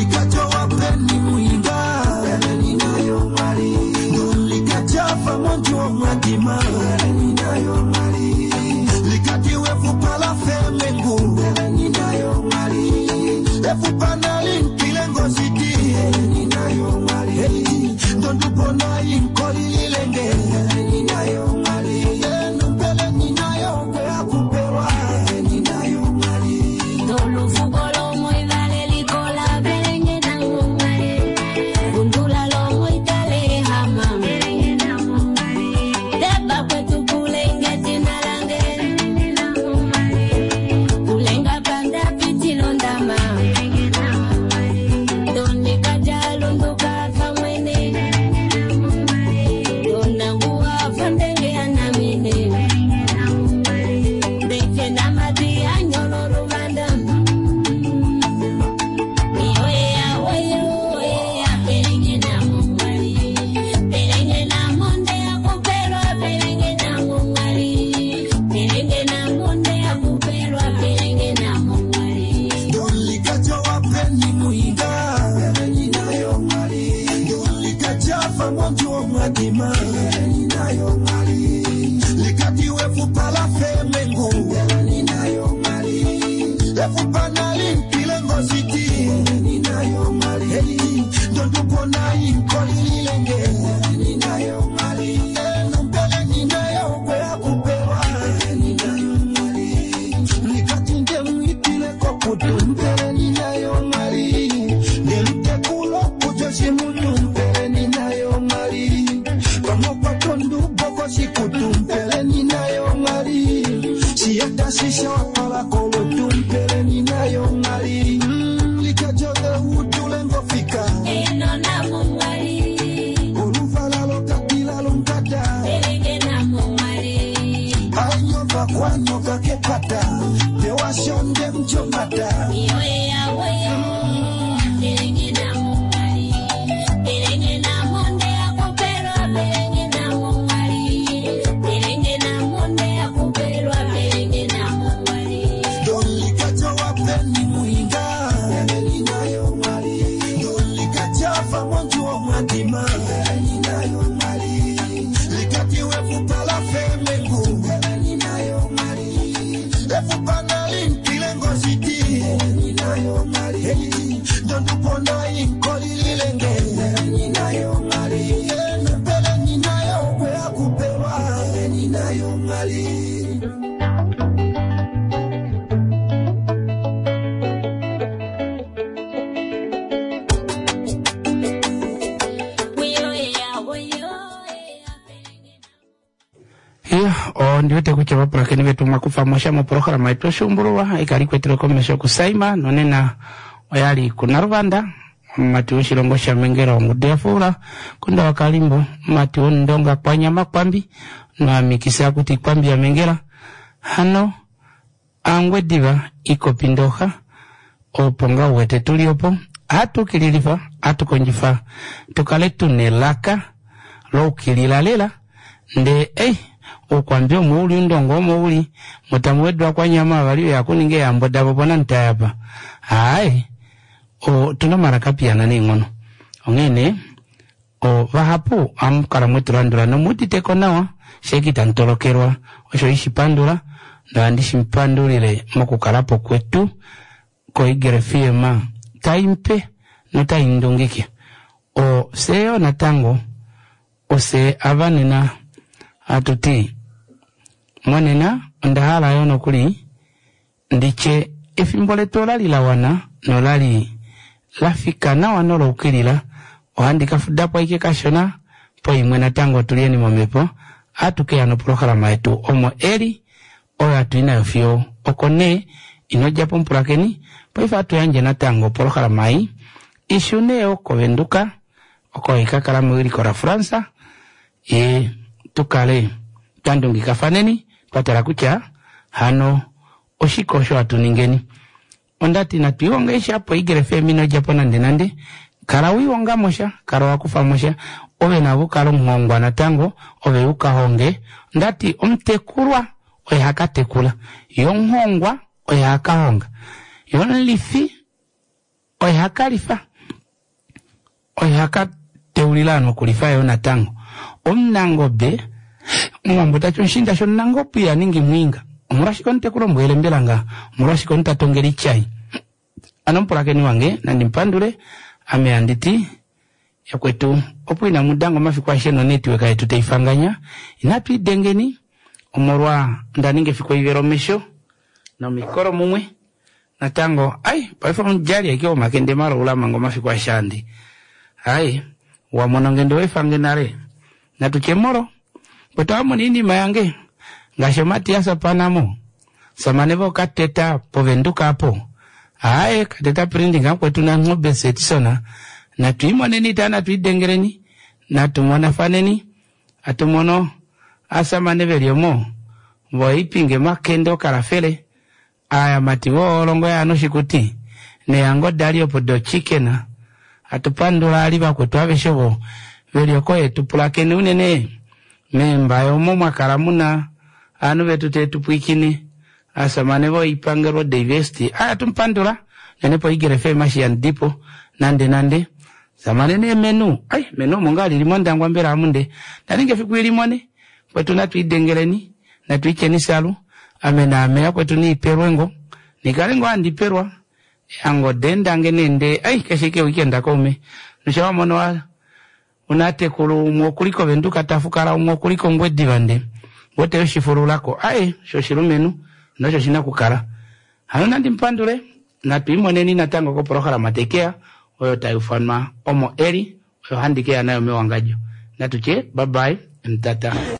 [SPEAKER 1] Ondiwete kutya vapulakeni vetu mwakufa mosha moprograma yetu oshuumbululwa ikali kwetele komesho kusaima nonena oyali kunaluvanda mumati woshilongo shamengela ongudu yafuula kunda wakalimbo mumati wondonga kwanyama kwambi noamikisa kuti kwambi yamengela hano angwediva ikopi ndoha opo nga uwete tuli opo atukililifa atukondjifa tukale tuna elaka loukilila lela nde ei ukwambi omo uli undongo omo uli mutamu wedwa kwanyama vali yakuninga eyambo davo pona ntayapa hayi otuna omalaka piyana neenghono onghene vahapu amukala mwetulandula nomuuditeko nawa sheki tantolokelwa osho ishipandula nohandi shipandulile mokukalapo kwetu koEagle F M taimpe notaindungike oseyo natango ose avanena atuti monena onda hala yo nokuli nditye efimbo letu olali la wana nolali lafika nawa noloukilila ohandi kafudapo aike kashona poimwe natango tulieni momhepo atukeya noprograma yetu omo eli oyo atui nayo fiyo oko nee inodjapo mupulakeni paife atuyandje natango oprograma ei ishune yo kovenduka oko ikakala mewiliko la Fransa ye tukale twandungikafaneni twatala kutya hano oshike osho atuningeni ondati natwiihonga ishapo Eagle F M inodjapo nande nande kala wiihonga mosha kala wakufa mosha ove navo kala omuhongwa natango ove ukahonge ndati omutekulwa oye hakatekula yomuhongwa oye hakahonga yomulifi oye hakalifa oye hakateulila nokulifa yo natango omunangobe omuwambo tati omushinda shomunangobe ihaningi mwinga omolwashike omutekulombuele mbela nga omolwashike omutatongela ityai ano mupulakeni wange nandi mpandule ame anditi yakwetu opo ina mudango omafiku aishe nonetiweka yetu taifanganya inatu idengeni omolwa ndaninga efiku oivela omesho nomikolo mumwe natango ai paife omudjali aike omakende maloula manga omafiku aishe andi ai wamona ngende wefange nale natutye molo kwetu amona iinima yange ngaashi Matias Panamo samane vo kateta povenduka apo aye kateta printing akwetu na ng'obe setisona natuimoneni ta natuidengeleni natumonafaneni atumono asamane veliomo voipinge makende okalafele aya mati voolongo yano shikuti neyango dali opo do chicken atupandula ali vakwetu aveshe vo velioko yetupulakeni unene memba yomo mwakala muna anu vetu tetupwikine asamane voipangelo divesti aya tumpandula nenepo Eagle F M ashiyandipo nande nande samane ne menu ai menu omo ngaa lili mondangwa mbela amunde ndaninga efiku ilimone kwetu natuidengeleni natuicheni salu ame naame yakwetu niipelwengo Nikale ngoo handi pelwa eangode dange nende ai keshe ike weekend kaume. Nosha wamono wa una atekulu umwe okuli kovenduka tafukala umwe okuli kongwediva nde wote yoshifululako ae shoshilumenhu nosho shina okukala. Hano nandi mupandule natu imoneni natango koprograma tekeya oyo tai ufanwa omo eli oyo handi keya nayo mewangadjo. Natu tye bye bye mtata.